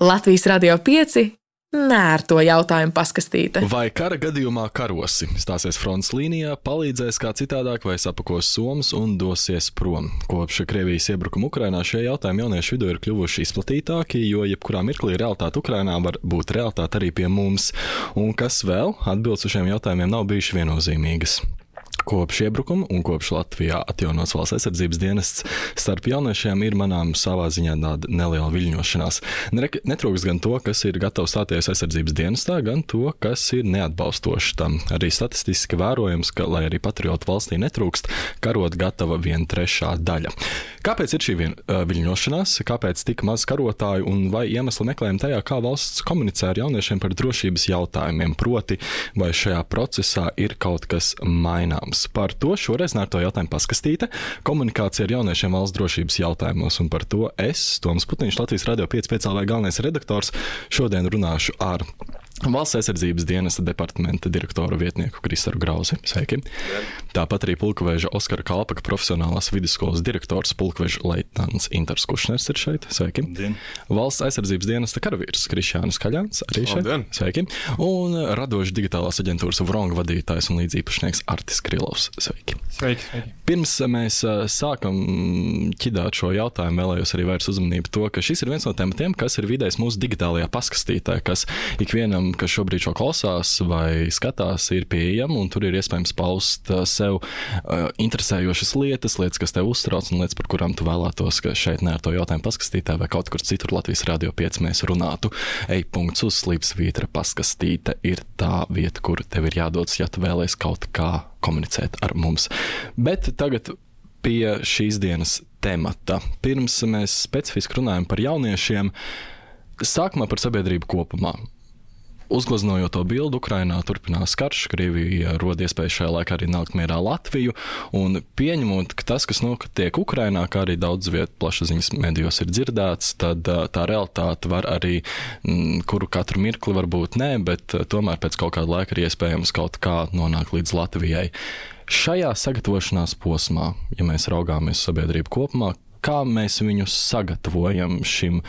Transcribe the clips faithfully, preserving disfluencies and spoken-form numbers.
Latvijas Radio pieci nērto jautājumu paskastīte. Vai kara gadījumā karosi stāsies frontes līnijā, palīdzēs kā citādāk vai sapakos somas un dosies prom? Kopš Krievijas iebrukuma Ukrainā šie jautājumi jauniešu vidū ir kļuvuši izplatītāki, jo jebkurā mirklī realitāte Ukrainā var būt realitāte arī pie mums. Un kas vēl? Atbildes uz šiem jautājumiem nav bijuši viennozīmīgas. Kopš iebrukuma un kopš Latvijā atjaunots valsts aizsardzības dienests starp jauniešiem ir manām savā ziņā tāda neliela viļņošanās. Netrūks gan to, kas ir gatavs stāties aizsardzības dienestā, gan to, kas ir neatbalstoši tam. Arī statistiski vērojams, ka, lai arī patriotu valstī netrūkst, karot gatava viena trešā daļa. Kāpēc ir šī vien, uh, viļņošanās? Kāpēc tik maz karotāju un vai iemesli meklējam tajā, kā valsts komunicē ar jauniešiem par drošības jautājumiem? Proti, vai šajā procesā ir kaut kas maināms? Par to šoreiz nērto jautājumu paskastīte, komunikācija ar jauniešiem valsts drošības jautājumos, un par to es, Toms Putniņš, Latvijas Radio pieci speciālais galvenais redaktors, šodien runāšu ar Valsts aizsardzības dienesta departamenta direktoru vietnieku Kristaru Grauzi. Sveiki. Jā. Tāpat arī pulkveža Oskara Kalpaka profesionālās vidusskolas direktors pulkveža leitnants Intars Kušners ir šeit. Sveiki. Dien. Valsts aizsardzības dienesta karavīrs Krišjānis Kaļāns arī šeit. Dien. Sveiki. Un radoši digitālās aģentūras Vrong vadītājs un līdzīpašnieks Artis Krilovs. Sveiki. Sveiki. Sveiki. Pirms mēs sākam ķidāt šo jautājumu, vēlējos arī vērst uzmanību to, ka šis ir viens no tematiem, kas ir vidējs mūsu digitālajā paskastītē, kas ikvienam, kas šobrīd šo klausās vai skatās, ir pieejama, un tur ir iespējams paust sev uh, interesējošas lietas, lietas, kas tev uztrauc, un lietas, par kurām tu vēlētos, ka šeit nērto jautājumu paskastītē vai kaut kur citur Latvijas Radio pieci mēs runātu. Ej punkts uz slīpsvītra paskastīte ir tā vieta, kur tev ir jādodas, ja tu vēlies kaut kā komunicēt ar mums. Bet tagad pie šīs dienas temata. Pirms mēs specifiski runājam par jauniešiem, sākumā par sabiedrību kopumā. Uzgleznojot to bildu, Ukrainā turpinās karš, Krievija rod iespēju šajā laikā arī nākt mierā Latviju, un pieņemot, ka tas, kas notiek Ukrainā, kā arī daudz vietu plašsaziņas medijos ir dzirdēts, tad tā realitāte var arī, kuru katru mirkli varbūt nē, bet tomēr pēc kaut kāda laika ir iespējams kaut kā nonākt līdz Latvijai. Šajā sagatavošanās posmā, ja mēs raugāmies sabiedrību kopumā, kā mēs viņus sagatavojam šim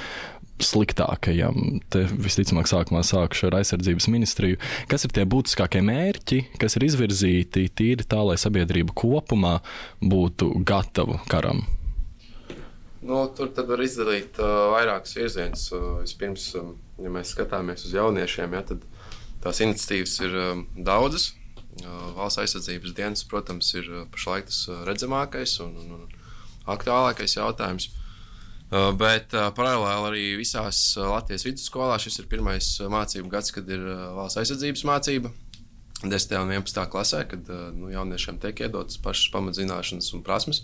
sliktākajam? Te visticamāk sākumā sākšu ar aizsardzības ministriju. Kas ir tie būtiskākie mērķi, kas ir izvirzīti tīri tā, lai sabiedrība kopumā būtu gatava karam? Nu, tur tad var izdalīt uh, vairākas virzienus. Uh, vispirms, um, ja mēs skatāmies uz jauniešiem, ja, tad tās iniciatīvas ir um, daudzas. Uh, valsts aizsardzības dienas, protams, ir uh, pašlaik tas uh, redzamākais un, un, un aktuālākais jautājums. Uh, bet uh, paralēli arī visās uh, Latvijas vidusskolās šis ir pirmais uh, mācību gads, kad ir uh, valsts aizsardzības mācība desmitajā un vienpadsmitajā klasē, kad uh, nu, jauniešiem tiek iedotas pašas pamatzināšanas un prasmes,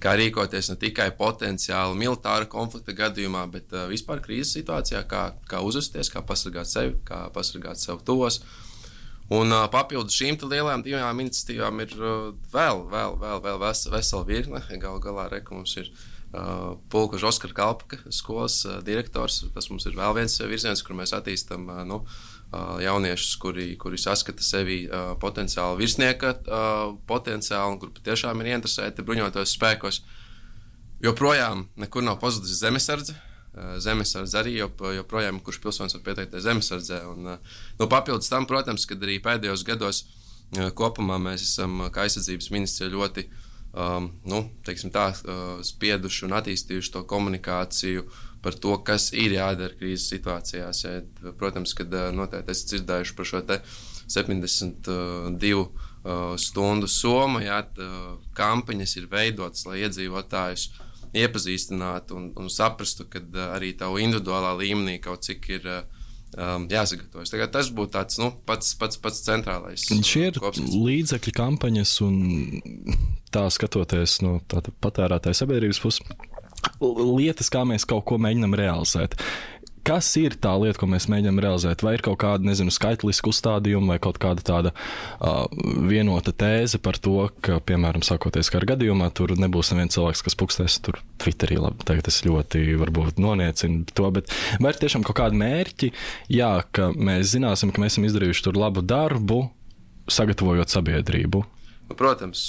kā rīkoties ne tikai potenciāli militāra konflikta gadījumā, bet uh, vispār krīzes situācijā, kā, kā uzvesties, kā pasargāt sevi, kā pasargāt sev tuvos. Un uh, papildus šīm lielajām divām iniciatīvām ir uh, vēl, vēl, vēl, vēl ves, vesela virkne. Galu galā reka mums ir Uh, pulkveža Oskara Kalpaka skolas uh, direktors. Tas mums ir vēl viens virziens, kur mēs attīstam uh, nu, uh, jauniešus, kuri, kuri saskata sevi uh, potenciāli virsnieka uh, potenciāli, un kur patiešām ir interesēti bruņotos spēkos. Joprojām nekur nav pazudis zemesardze. Uh, zemesardze arī jop, joprojām, kurš pilsonis var pieteikties zemesardzē. Un, uh, nu, papildus tam, protams, kad arī pēdējos gados uh, kopumā mēs esam, kā aizsardzības ministrija, ļoti Um, nu, teiksim tā, uh, spieduši un attīstījuši to komunikāciju par to, kas ir jādara krīzes situācijās. Ja, protams, kad uh, noteikti esat dzirdējuši par šo te septiņdesmit divu uh, stundu somu, ja, uh, kampaņas ir veidotas, lai iedzīvotājus iepazīstinātu un, un saprastu, ka uh, arī tavu individuālā līmenī kaut cik ir uh, Um, jāsagatavojas. Tagad tas būtu tāds nu, pats, pats, pats centrālais. Šie ir līdzekļi kampaņas un tā skatoties no tā patērētāja sabiedrības puses, lietas, kā mēs kaut ko mēģinam realizēt. Kas ir tā lieta, ko mēs mēģinām realizēt? Vai ir kaut kāda, nezinu, skaitliska uzstādījuma vai kaut kāda tāda uh, vienota tēze par to, ka, piemēram, sākoties kara gadījumā, tur nebūs neviens cilvēks, kas pukstēs tur Twitterī, labi, tagad es ļoti varbūt noniecinu to, bet vai ir tiešām kaut kādi mērķi, jā, ka mēs zināsim, ka mēs esam izdarījuši tur labu darbu, sagatavojot sabiedrību? Nu, protams,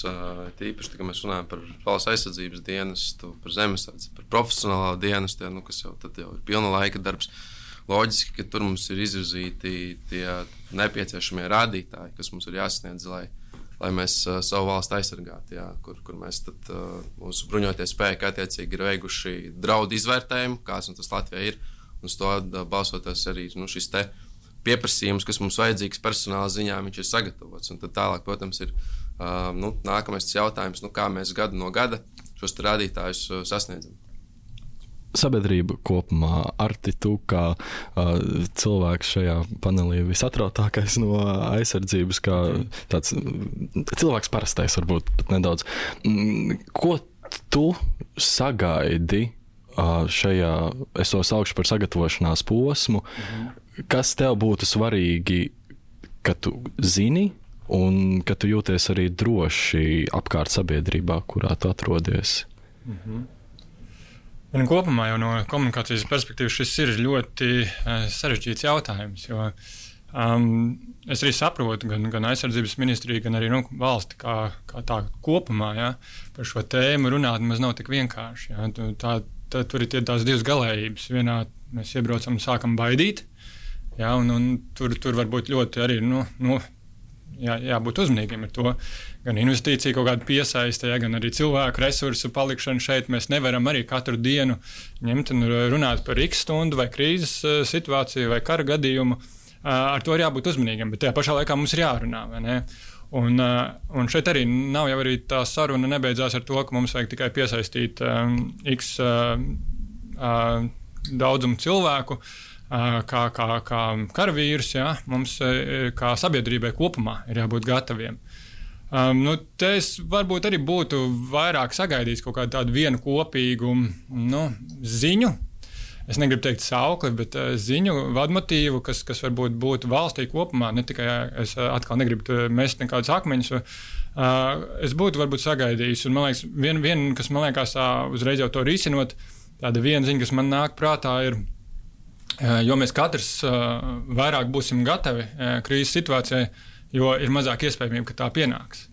tīpaši, kad mēs runājam par valsts aizsardzības dienestu, par zemesardzi, par profesionālā dienestu, nu, kas jau, tad jau ir pilna laika darbs. loģiski, ka tur mums ir izvirzīti tie nepieciešamie rādītāji, kas mums ir jāsasniedz, lai, lai mēs uh, savu valstu aizsargātu, jā, kur, kur mēs tad, uh, mūsu bruņoties spēki attiecīgi ir veikuši draudu izvērtējumu, kāds tas Latvijā ir, un uz to uh, balsoties arī nu, šis te pieprasījums, kas mums vajadzīgs personāla ziņā, viņš ir sagatavots. Un tad tālāk, protams, ir uh, nu, nākamais jautājums, nu, kā mēs gadu no gada šos rādītājus uh, sasniedzam. Sabiedrība kopumā, Arti, tu kā uh, cilvēks šajā panelī visatrautākais no aizsardzības, kā tāds cilvēks parastais varbūt pat nedaudz. Ko tu sagaidi uh, šajā, es to saukšu par sagatavošanās posmu, mhm. kas tev būtu svarīgi, ka tu zini un ka tu jūties arī droši apkārt sabiedrībā, kurā tu atrodies? Mhm. Un kopumā jau no komunikācijas perspektīvas šis ir ļoti uh, sarežģīts jautājums, jo um, es arī saprotu gan, gan aizsardzības ministriju, gan arī nu, valsti kā, kā tā kopumā, ja, par šo tēmu runāt maz nav tik vienkārši. Ja. Tā, tā, tur ir tie tās divas galējības. Vienā mēs iebraucam un sākam baidīt, ja, un, un tur, tur var būt ļoti arī, nu, nu jā, jābūt uzmanīgiem ar to. Gan investīcija kaut kāda piesaiste, ja, gan arī cilvēku resursu palikšanu šeit. Mēs nevaram arī katru dienu ņemt un runāt par x stundu vai krīzes situāciju vai kara gadījumu. Ar to ir jābūt uzmanīgiem, bet tajā pašā laikā mums ir jārunā, vai ne? Un, un šeit arī nav jau arī tā saruna nebeidzās ar to, ka mums vajag tikai piesaistīt um, x uh, uh, daudzumu cilvēku, uh, kā, kā, kā karavīrus, ja? Mums uh, kā sabiedrībai kopumā ir jābūt gataviem. Um, nu, te es varbūt arī būtu vairāk sagaidījis kaut kādu tādu vienu kopīgu nu, ziņu. Es negribu teikt saukli, bet uh, ziņu, vadmotīvu, kas, kas varbūt būtu valstī kopumā. Ne tikai es uh, atkal negribu mest nekādus akmeņus. Uh, es būtu varbūt sagaidījis. Un, man liekas, viena, vien, kas man liekas uh, uzreiz jau to risinot, tāda viena ziņa, kas man nāk prātā ir, uh, jo mēs katrs uh, vairāk būsim gatavi uh, krīzes situācijai, jo ir mazāk iespējamība, ka tā pienāks.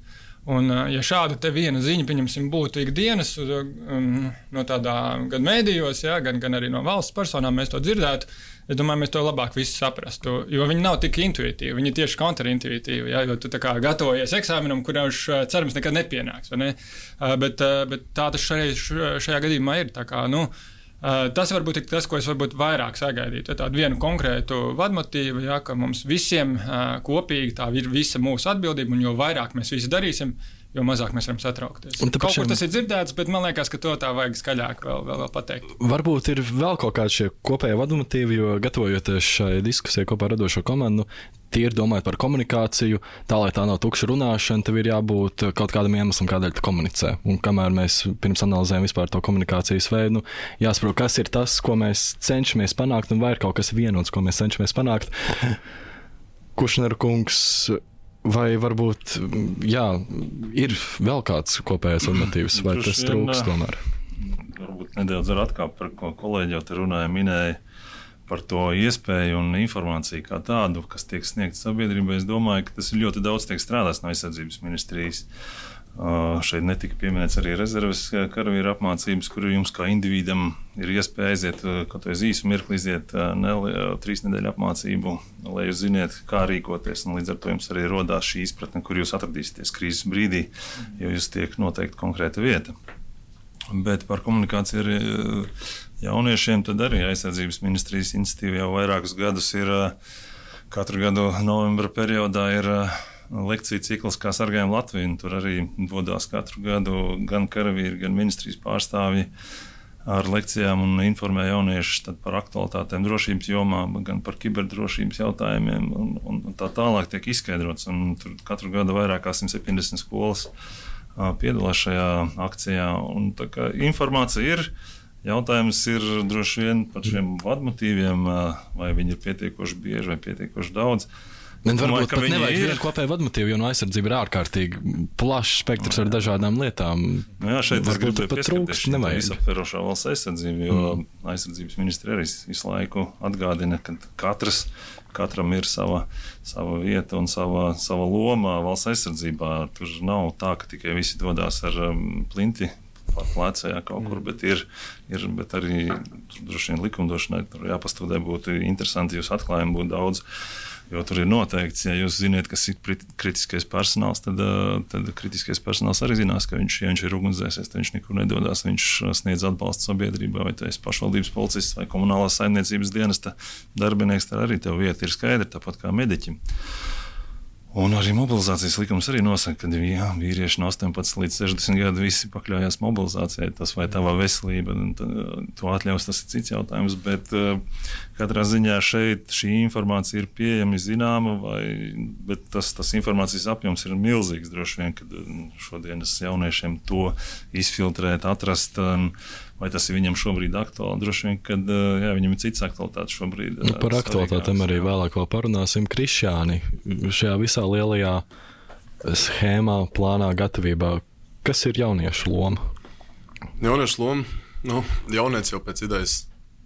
Un, ja šāda te viena ziņa, pieņemsim, būtu ikdienas um, no tādā gan mēdījos, ja, gan, gan arī no valsts personām mēs to dzirdētu, es domāju, mēs to labāk visi saprastu, jo viņi nav tik intuitīvi, viņi ir tieši kontraintuitīvi, ja, jo tu tā kā gatavojies eksāmenam, kurš cerams nekad nepienāks, vai ne? Bet, bet tā tas šajā, šajā gadījumā ir, tā kā, nu, Uh, tas varbūt ir tas, ko es varbūt vairāk sagaidītu. Ja tādu vienu konkrētu vadmotīvu, ja, ka mums visiem uh, kopīgi tā ir visa mūsu atbildība, un jo vairāk mēs visi darīsim, jo mazāk mēs varam satraukties. Kaut kur tas ir dzirdēts, bet man liekas, ka to tā vajag skaļāk vēl, vēl, vēl pateikt. Varbūt ir vēl kaut kādi šie kopējie vadmotīvi, jo gatavojoties šai diskusijai kopā ar radošo komandu, tie ir domājot par komunikāciju, tā, lai tā nav tukša runāšana, tev ir jābūt kaut kādam iemeslam, kādēļ tu komunicē. Un kamēr mēs pirms analizējam vispār to komunikācijas veidu, jāsaprot, kas ir tas, ko mēs cenšamies panākt, un vai ir kaut kas vienots, ko mēs cenšamies panākt. Kušnera kungs, vai varbūt, jā, ir vēl kāds kopējais motīvs, vai tas trūks tomēr? Varbūt nedaudz ar atkāpu, par ko kolēģi jau te runāja, minēja par to iespēju un informāciju kā tādu, kas tiek sniegta sabiedrībai. Es domāju, ka tas ir ļoti daudz tiek strādāts no aizsardzības ministrijas. Uh, šeit netika pieminēts arī rezerves karavīru apmācības, kur jums kā individam ir iespēja aiziet, kaut vai īsu mirkli iziet uh, ne, trīs nedēļu apmācību, lai jūs ziniet, kā rīkoties. Un līdz ar to jums arī rodās šī izpratne, kur jūs atradīsieties krīzes brīdī, jo jūs tiek noteikti konkrēta vieta. Bet par komunikāciju ar jauniešiem tad arī aizsardzības ministrijas iniciatīva jau vairākus gadus ir, katru gadu novembra periodā ir lekciju cikls, kā sargājam Latviju. Tur arī dodās katru gadu gan karavīri, gan ministrijas pārstāvji ar lekcijām un informē jauniešus par aktualitātēm drošības jomā, gan par kiberdrošības jautājumiem un, un tā tālāk tiek izskaidrots. Un tur katru gadu vairāk kā simt septiņdesmit skolas piedalās šajā akcijā. Un tā kā informācija ir, jautājums ir droši vien par šiem vadmotīviem, vai viņi ir pietiekoši bieži vai pietiekoši daudz. Bet varbūt pat nevajag vienu kopēju vadmotīvu, jo no aizsardzība ir ārkārtīgi plašs spektrs ar dažādām lietām. Nu jā, šeit es gribēju pieskarties šī visaptverošā valsts aizsardzība, jo mm. aizsardzības ministri arī visu laiku atgādina, ka katrs, katram ir sava, sava vieta un sava, sava loma valsts aizsardzībā. Tur nav tā, ka tikai visi dodās ar um, plinti pār plecējā kaut kur, bet ir, ir bet arī droši vien likumdošanai tur jāpastudē, būtu interesanti, jūs atklājumi būtu daudz. Jo tur ir noteikts, ja jūs ziniet, kas ir kritiskais personāls, tad, tad kritiskais personāls arī zinās, ka viņš, ja viņš ir ugunsdzēsies, tad viņš nekur nedodās, viņš sniedz atbalstu sabiedrībā, vai tu esi pašvaldības policists vai komunālās saimniecības dienesta darbinieks, tad arī tev vieta ir skaidra, tāpat kā mediķim. Un arī mobilizācijas likums arī nosaka, ka jā, vīrieši no astoņpadsmit līdz sešdesmit gadu visi pakļaujās mobilizācijai. Tas vai tava veselība, to atļaus, tas ir cits jautājums, bet uh, katrā ziņā šeit šī informācija ir pieejama, zināma, vai, bet tas, tas informācijas apjoms ir milzīgs droši vien, kad šodienas jauniešiem to izfiltrēt, atrast, um, vai tas ir viņam šobrīd aktuāli. Droši vien, kad jā, viņam ir cits aktualitātes šobrīd. Nu, par aktualitātēm arī vēlāk vēl parunāsim. Krišjāni, šajā visā lielajā schēmā, plānā, gatavībā, kas ir jauniešu loma? Jauniešu loma? Nu, jaunietis jau pēc idejas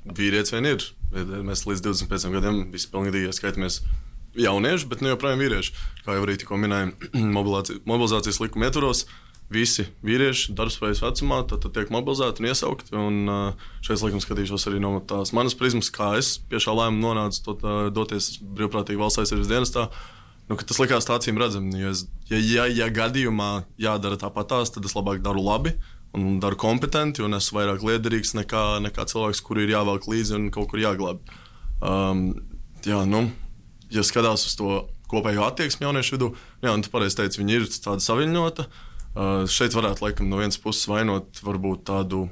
vīrietis vien ir. Mēs līdz divdesmit pieciem gadiem visi pilnīgi skaitamies jaunieši, bet ne joprojām vīrieši. Kā jau arī tikko minējām, mobilizācijas likuma ietvaros, visi vīrieši darbspējas vecumā tad, tad tiek mobilizēti un iesaukti. Un šeit laikam skatīšos arī no tās manas prizmas, kā es pie šā lēmuma nonācu to, tā, doties brīvprātīgi valsts aizsardzības dienestā. Nu, tas likās tā acīm redzami. Ja, ja, ja gadījumā jādara tāpat tās, tad es labāk daru labi un daru kompetenti un esmu vairāk liederīgs nekā, nekā cilvēks, kuri ir jāvelk līdzi un kaut kur jāglāb. Um, jā, nu, ja skatās uz to kopējo attieksmi jauniešu vidū, jā, un tu pareizi teici, viņi ir tāda saviņota. Uh, šeit varētu laikam no vienas puses vainot varbūt tādu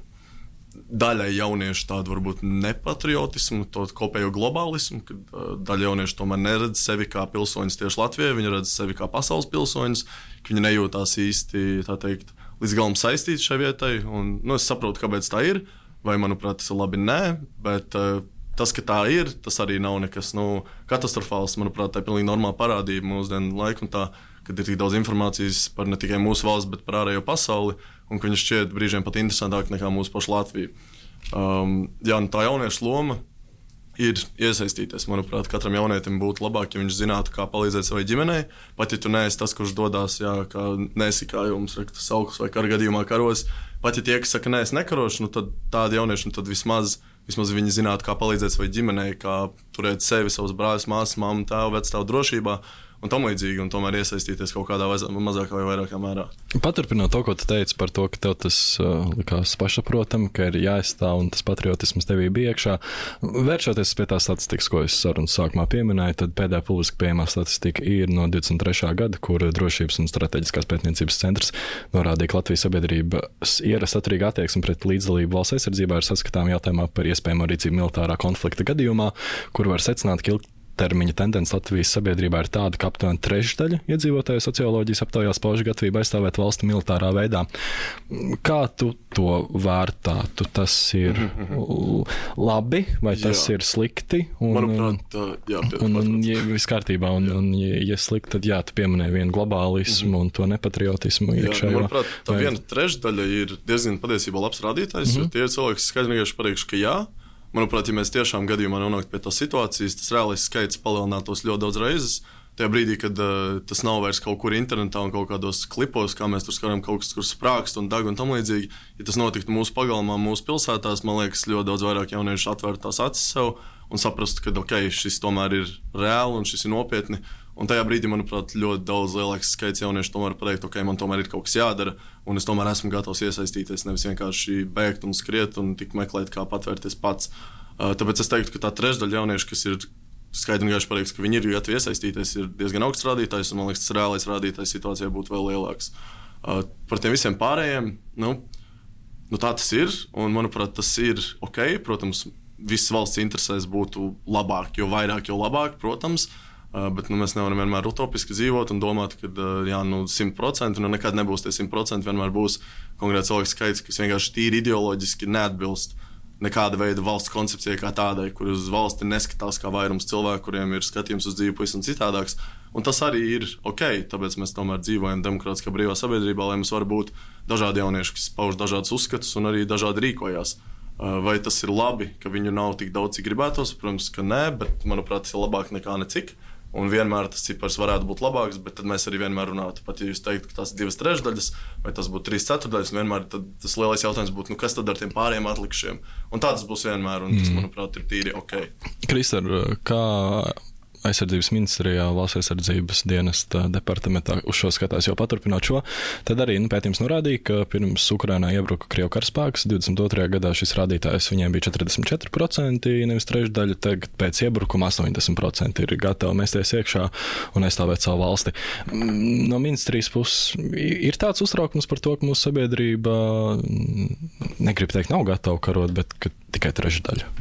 daļai jauniešu tādu varbūt nepatriotismu, to kopējo globālismu, kad uh, daļa jauniešu tomēr neredz sevi kā pilsoņus tieši Latvijai, viņi redz sevi kā pasaules pilsoņus, ka viņi nejūtās īsti, tā teikt, līdz galam saistīti šai vietai, un nu, es saprotu, kāpēc tā ir, vai manuprāt tas ir labi, nē, bet uh, tas, ka tā ir, tas arī nav nekas nu, katastrofāls, manuprāt, tā ir pilnīgi normāla parādība mūsdienu laiku un tā, kad ir tik daudz informācijas par ne tikai mūsu valsts, bet par ārējo pasauli, un ka viņš šķiet brīžiem pat interesantāk nekā mūsu pašu Latviju. Um, jā, tā jauniešu loma ir iesaistīties. Manuprāt, katram jaunietim būtu labāk, ja viņš zinātu, kā palīdzēt savai ģimenei. Pat ja tu neesi tas, kurš dodās, jā, kā neesi kā jums rakta saukus vai kara gadījumā karos, pat ja tie, kas saka, neesi nekaroši, nu tad tādi jaunieši, nu tad vismaz, vismaz viņi zinātu, kā palīdzēt savai ģimenei, kā turēt sevi, savus brāļus, māsas, mammu, tēvu, vecstāvu drošībā. Un tam līdzīgi, un tomēr iesaistīties kaut kādā mazākā vai vairākā mērā. Paturpinot to, ko tu teici par to, ka tev tas uh, likās pašsaprotam, ka ir jāizstāv un tas patriotisms tevī bija iekšā. Vēršoties pie tā statistikas, ko es sarunas sākumā pieminēju, tad pēdējā publiski pieejamā statistika ir no divdesmit trešā gada, kur Drošības un strateģiskās pētniecības centrs norādīja, ka Latvijas sabiedrības ierast atturīga attieksme pret līdzdalību valsts aizsardzībā ir saskatām jautājumā par iespējamo rīcību militārā konflikta gadījumā, kur var secināt, ka termiņa tendence Latvijas sabiedrībā ir tāda, ka aptuveni trešdaļa iedzīvotāju socioloģijas aptaujās pauž gatavību aizstāvēt valsti militārā veidā. Kā tu to vērtātu? Tas ir labi vai tas jā. Ir slikti? Un, manuprāt, jā, un, un ja viss kārtībā, un, un ja, ja slikti, tad jā, tu pieminēji vienu globālismu mm-hmm. un to nepatriotismu iekšējo. Jā, manuprāt, tā vai... viena trešdaļa ir diezgan patiesībā labs rādītājs, mm-hmm. jo tie ir cilvēki, kas skaidri vienkārši pateikšu, ka jā. Manuprāt, ja mēs tiešām gadījumā nonāktu pie tās situācijas, tas reālais skaits palielinātos ļoti daudz reizes. Tajā brīdī, kad uh, tas nav vairs kaut kur internetā un kaut kādos klipos, kā mēs tur skatām kaut kas, kur sprākst un dag un tam līdzīgi. Ja tas notiktu mūsu pagalmā, mūsu pilsētās, man liekas, ļoti daudz vairāk jauniešu atvērtu tās acis sev un saprastu, ka ok, šis tomēr ir reāli un šis ir nopietni. Un tajā brīdī, manuprāt, ļoti daudz lielāks skaits jauniešu tomēr pateikt, ok, man tomēr ir kaut kas jādara, un es tomēr esmu gatavs iesaistīties, nevis vienkārši bēgt un skriet un tik meklēt, kā patvērties pats. Uh, tāpēc es teiktu, ka tā trešdaļa jauniešu, kas ir skaidri un gaiši pateiks, ka viņi ir gatavi iesaistīties, ir diezgan augsts rādītājs, un man liekas, tas reālais rādītājs situācijā būtu vēl lielāks. Uh, par tiem visiem pārējiem, nu, nu tā tas ir, un manuprāt, tas ir ok, protams, visas valsts interesēs būtu labāk, jo vairāk, jo labāk, protams. Uh, bet nu, mēs nevaram vienmēr utopiski dzīvot un domāt, ka uh, jā, nu, simt procenti nu, nekad nebūs tie simt procenti. Vienmēr būs konkrēts cilvēks skaits, kas vienkārši tīri ideoloģiski neatbilst nekāda veida valsts koncepcijai kā tādai, kur uz valsti neskatās kā vairums cilvēku, kuriem ir skatījums uz dzīvi pavisam citādāks. Un tas arī ir ok, tāpēc mēs tomēr dzīvojam demokrātiskā brīvā sabiedrībā, lai mums var būt dažādi jaunieši, kas pauž dažādus uzskatus un arī dažādi rīkojās. Uh, vai tas ir labi, ka viņu nav tik daudz, cik gribētos? Protams, ka nē, bet manuprāt, tas ir labāk nekā necik. un vienmēr tas cipars varētu būt labāks, bet tad mēs arī vienmēr runātu, pat ja jūs teiktu, ka tas ir divas trešdaļas, vai tas būtu trīs ceturdaļas, un vienmēr tas lielais jautājums būtu, nu, kas tad ar tiem pārējiem atlikušiem. Un tā tas būs vienmēr, un tas, manuprāt, ir tīri ok. Kristar, kā aizsardzības ministrijā, valsts aizsardzības dienesta departamentā uz šo skatās, jau paturpināt šo, tad arī nu, pētījums norādīja, ka pirms Ukrainā iebruka Krievu karaspēks, divdesmit otrajā gadā šis rādītājs viņiem bija četrdesmit četri procenti, nevis trešdaļa, tagad pēc iebrukuma astoņdesmit procenti ir gatavi mesties iekšā un aizstāvēt savu valsti. No ministrijas puses ir tāds uztraukums par to, ka mūsu sabiedrība, negrib teikt, nav gatava karot, bet ka tikai trešdaļa.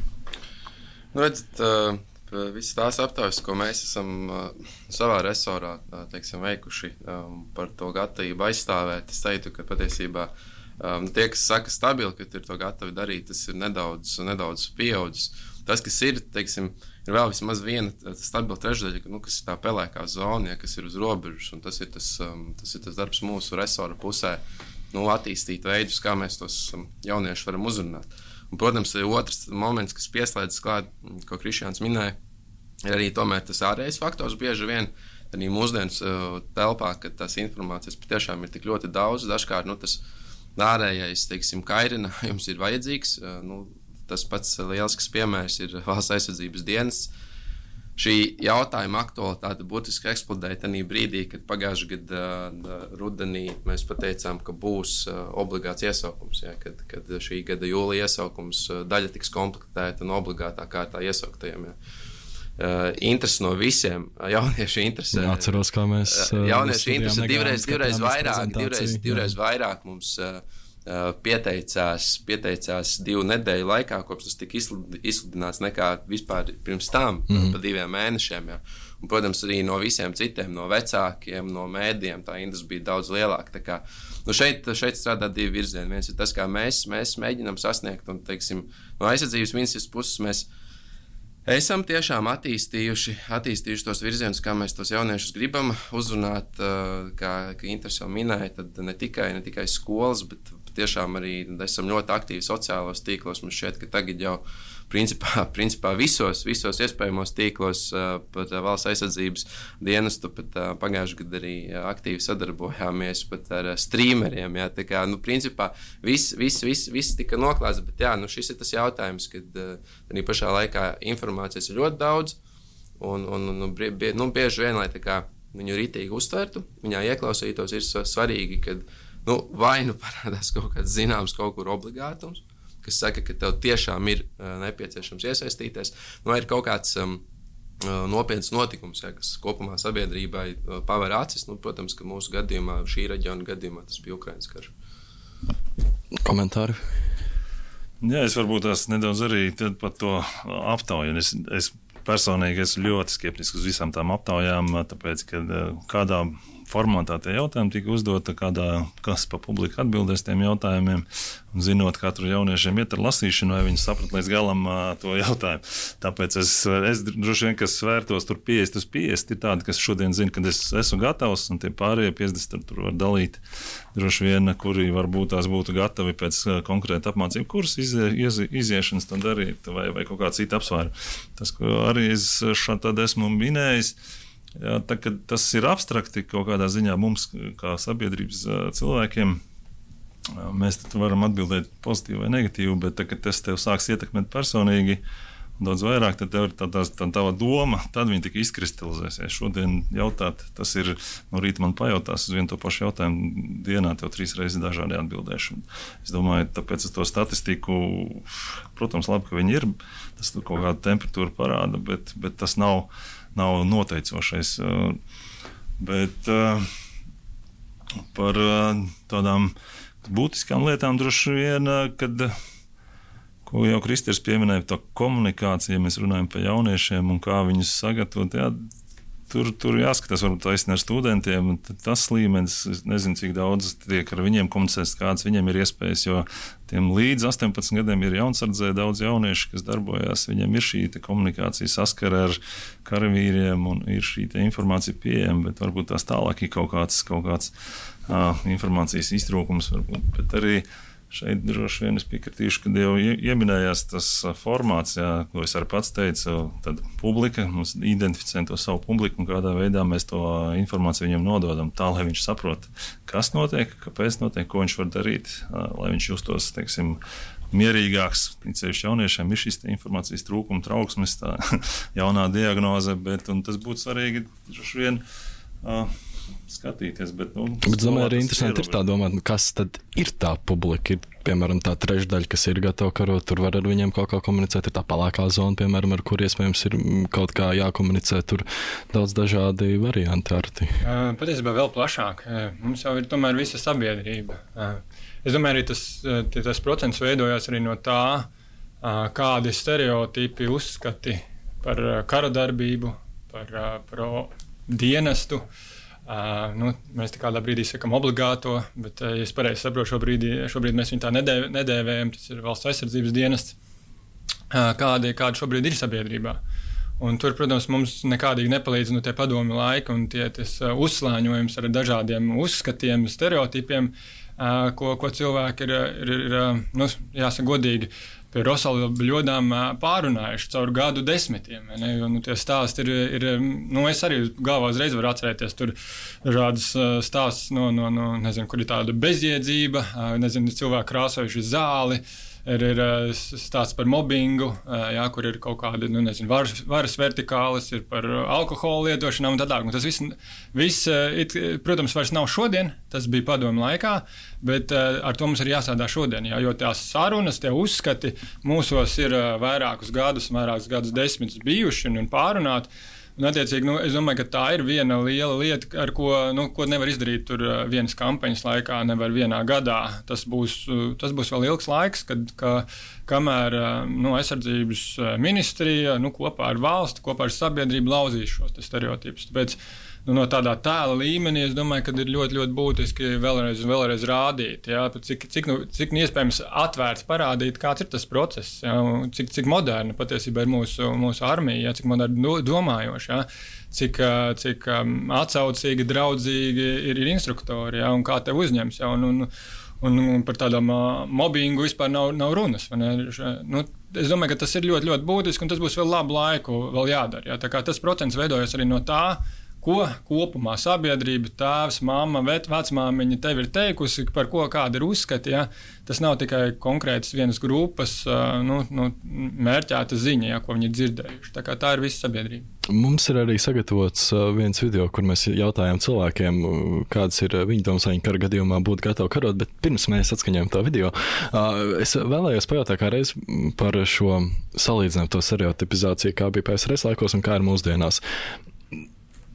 Nu, redzat, uh... Visas tās aptaujas, ko mēs esam uh, savā resorā uh, teiksim, veikuši um, par to gatavību aizstāvēt, es teiktu, ka patiesībā um, tie, kas saka stabili, ka ir to gatavi darīt, tas ir nedaudz, nedaudz pieaudzis. Tas, kas ir, teiksim, ir vēl vismaz viena stabila trešdaļa, nu, kas ir tā pelēkā zona, ja, kas ir uz robežas, un tas ir tas, um, tas ir tas darbs mūsu resora pusē, nu, attīstīt veidus, kā mēs tos um, jauniešus varam uzrunāt. Un, protams, ir otrs moments, kas pieslēdzas klāt, ko Krišjāns minēja, ir arī tomēr tas ārējais faktors bieži vien arī mūsdienas uh, telpā, kad tās informācijas patiešām ir tik ļoti daudz, dažkārt, nu, tas ārējais, teiksim, kairinājums ir vajadzīgs. Uh, nu, tas pats lielisks piemērs ir valsts aizsardzības dienests. Šī jautājuma aktualitāte būtiski eksplodēja tajā brīdī, kad pagājušā gada uh, rudenī mēs pateicām, ka būs uh, obligāts iesaukums. Ja, kad, kad šī gada jūlija iesaukums uh, daļa tiks komplektēta un obligātā kārtā iesauktajiem. Ja. Uh, interesi no visiem, uh, jauniešu interesi. Jā, atceros, kā mēs. Uh, jauniešu interesi divreiz, divreiz vairāk, divreiz, divreiz vairāk mums uh, uh, pieteicās, pieteicās divu nedēļu laikā, kopš tas tika izsludināts nekā vispār pirms tam, mm. pa diviem mēnešiem. Jā. Un, protams, arī no visiem citiem, no vecākiem, no mēdiem, tā interesi bija daudz lielāka. Tā kā, nu šeit, šeit strādā divi virzieni. Viens ir tas, kā mēs, mēs mēģinam sasniegt, un, teiksim, no aizsardzības ministrijas puses mēs esam tiešām attīstījuši, attīstījuši tos virzienus, kā mēs tos jauniešus gribam uzrunāt, kā, kā Inters jau minēja, tad ne tikai, ne tikai skolas, bet tiešām arī esam ļoti aktīvi sociālos tīklos. Mums šķiet, ka tagad jau principā, principā visos, visos iespējamos tīklos pat valsts aizsardzības dienestu, pat pagājušajā gadā arī aktīvi sadarbojāmies pat ar streameriem. Jā, tā kā, nu, principā viss, viss, viss, viss tika noklāts, bet jā, nu, šis ir tas jautājums, kad arī pašā laikā informācijas ir ļoti daudz, un, un, un bie, nu, bieži vien, lai tā kā viņu ritīgi uztvertu, viņā ieklausītos, ir svarīgi, kad nu, vai nu parādās kaut kāds zināms kaut kur obligātums, kas saka, ka tev tiešām ir uh, nepieciešams iesaistīties, vai ir kaut kāds um, nopietns notikums, ja, kas kopumā sabiedrībai uh, paver acis. Nu, protams, ka mūsu gadījumā, šī reģiona gadījumā, tas bija Ukrainas karš. Komentāri? Jā, es varbūt tās nedaudz arī par to aptauju. Es, es personīgi esmu ļoti skeptisks uz visām tām aptaujām, tāpēc, ka kādā formātā tie jautājumi tika uzdota, kādā, kas pa publiku atbildēs tiem jautājumiem, un zinot katru jauniešiem iet ar lasīšanu, vai viņi saprat līdz galam uh, to jautājumu. Tāpēc es, es droši vien, kas svērtos tur piecdesmit uz piecdesmit, ir tādi, kas šodien zina, ka es esmu gatavs, un tie pārējie piecdesmit tur var dalīt droši vien, kuri varbūt tās būtu gatavi pēc uh, konkrēta apmācību kursa izie, izie, iziešanas to darīt, vai, vai kaut kā cita apsvēra. Tas, ko arī es šādi tad esmu minējis, jā, tā, tas ir abstrakti kaut kādā ziņā mums, kā sabiedrības cilvēkiem. Mēs varam atbildēt pozitīvi vai negatīvi, bet tā, kad tas tev sāks ietekmēt personīgi daudz vairāk, tad tev ir tā, tā, tā tava doma, tad viņi tik izkristalizēsies. Šodien jautāt, tas ir, no rīta man pajautās uz vienu to pašu jautājumu dienā, tev trīs reizes dažādi atbildēšu. Es domāju, tāpēc es to statistiku, protams, labi, ka viņi ir, tas tur kaut kādu temperatūru parāda, bet, bet tas nav nav noteicošais, bet par tādām būtiskām lietām droši vien, kad, ko jau Kristers pieminēja, tā komunikācija, mēs runājam par jauniešiem un kā viņus sagatavot, jā, tur, tur jāskatās, varbūt taisni ar studentiem, tas līmenis, es nezinu, cik daudz tiek ar viņiem komunicēts, kāds viņiem ir iespējas, jo tiem līdz astoņpadsmit gadiem ir jaunsardzē daudz jauniešu, kas darbojās, viņiem ir šī komunikācija saskara ar karavīriem un ir šī informācija pieejama, bet varbūt tās tālāk ir kaut kāds, kaut kāds uh, informācijas iztrūkums, varbūt, bet arī šeit droši vien es piekritīšu, kad jau ieminējās tas formāts, jā, ko es arī pats teicu, tad publika, mums identificējam to savu publiku un kādā veidā mēs to informāciju viņam nododam tā, lai viņš saprot, kas notiek, kāpēc notiek, ko viņš var darīt, lai viņš justos, teiksim, mierīgāks. Ceļš jauniešiem ir šis informācijas trūkuma trauksmes, tā jaunā diagnoze, bet un tas būtu svarīgi droši vien uh, skatīties. Bet, nu, bet domāju, arī interesanti ir tā domāt, kas tad ir tā publika. Ir, piemēram, tā trešdaļa, kas ir gatava karot, tur var ar viņiem kaut kā komunicēt. Ir tā palākā zona, piemēram, ar kur iespējams ir kaut kā jākomunicē. Tur daudz dažādi varianti. Arti. Patiesībā vēl plašāk. Mums jau ir tomēr visa sabiedrība. Es domāju, arī tas, tas procents veidojās arī no tā, kādi stereotipi uzskati par kara darbību, par, par dienestu. Uh, nu, mēs tā kādā brīdī sakam obligāto, bet, uh, ja es pareizi saprotu, šobrīd, šobrīd mēs viņu tā nedēv, nedēvējam, tas ir valsts aizsardzības dienests, uh, kādi, kādi šobrīd ir sabiedrībā. Un tur, protams, mums nekādīgi nepalīdz nu, tie padomi laiki un tie ties, uh, uzslāņojums ar dažādiem uzskatiem, stereotipiem, uh, ko, ko cilvēki ir, ir, ir nu, jāsaka godīgi, pie Rosalu bļodām pārunājuši caur gadu desmitiem. Ne? Jo, nu, tie stāsti ir, ir, nu, es arī galvā uzreiz varu atcerēties tur dažādas stāstus, no, no, no, nezinu, kur ir tāda bezjēdzība, nezinu, cilvēki krāsojuši zāli, ir, ir stāsts par mobbingu, jā, kur ir kaut kādi, nu, nezinu, varas, varas vertikālis, ir par alkoholu lietošanām un tā tālāk. Tas viss, viss, it, protams, vairs nav šodien, tas bija padomu laikā, bet ar to mums ir jāsādā šodien, jā, jo tās sarunas, tie uzskati mūsos ir vairākus gadus, vairākus gadus desmitus bijuši un, un pārunāti. Un, attiecīgi, nu, es domāju, ka tā ir viena liela lieta, ar ko, nu, ko nevar izdarīt tur vienas kampaņas laikā, nevar vienā gadā. Tas būs, tas būs vēl ilgs laiks, kad, ka, kamēr nu, aizsardzības ministrija nu, kopā ar valsti, kopā ar sabiedrību lauzīs šos stereotipus. Tāpēc nu, no tādā tēla līmenī es domāju, ka ir ļoti, ļoti būtiski vēlreiz un vēlreiz rādīt, jā, cik, cik, nu, cik iespējams atvērts parādīt, kāds ir tas process, jā, cik, cik moderna patiesībā ir mūsu, mūsu armija, jā, cik moderni domājoši, jā, cik, cik atsaucīgi, draudzīgi ir, ir instruktori, jā, un kā tev uzņems, jā, un, un, un, un par tādām mobbingu vispār nav, nav runas. Nu, es domāju, ka tas ir ļoti, ļoti būtiski, un tas būs vēl labu laiku vēl jādara, jā, tā kā tas procents veidojas arī no tā, ko kopumā sabiedrība, tēvs, mamma, vecmāmiņa tev ir teikusi, par ko kāda ir uzskati. Ja? Tas nav tikai konkrētas vienas grupas nu, nu, mērķēta ziņa, ja, ko viņi ir dzirdējuši. Tā kā tā ir visa sabiedrība. Mums ir arī sagatavots viens video, kur mēs jautājām cilvēkiem, kādas ir viņa domas, vai viņi kara gadījumā būtu gatavi karot, bet pirms mēs atskaņojam to video, es vēlējos pajautāt kā reiz par šo salīdzinājumu to stereotipizāciju, kā bija P S R S laikos un kā ir mūsdienās.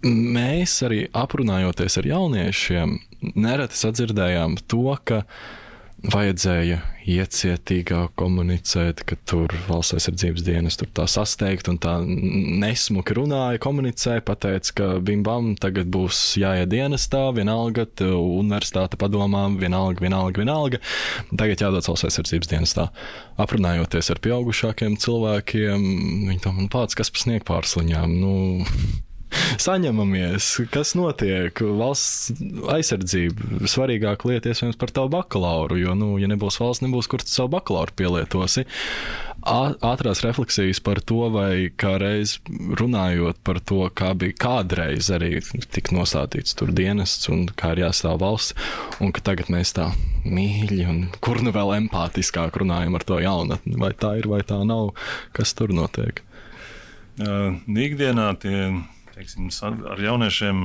Mēs arī aprunājoties ar jauniešiem, nereti sadzirdējām to, ka vajadzēja iecietīgāk komunicēt, ka tur valsts aizsardzības dienas tur tā sasteigt un tā nesmuki runāja, komunicēja, pateica, ka bim bam, tagad būs jāiet dienestā, vienalga, universitāte padomām, vienalga, vienalga, vienalga, tagad jādodas valsts aizsardzības dienestā. Aprunājoties ar pieaugušākiem cilvēkiem, viņi tam un pats, kas pa sniegpārsliņām, nu... Saņemamies, kas notiek, valsts aizsardzība, svarīgāka lieta iespējams par tavu bakalauru, jo, nu, ja nebūs valsts, nebūs, kur tu savu bakalauru pielietosi. Ātrās refleksijas par to, vai kā reiz runājot par to, kā bija kādreiz arī tik nostādīts tur dienests un kā ir jāstāv valsts, un ka tagad mēs tā mīļi un kur nu vēl empātiskāk runājam ar to jaunatni, vai tā ir, vai tā nav, kas tur notiek. Uh, ikdienā tie teiksim, ar jauniešiem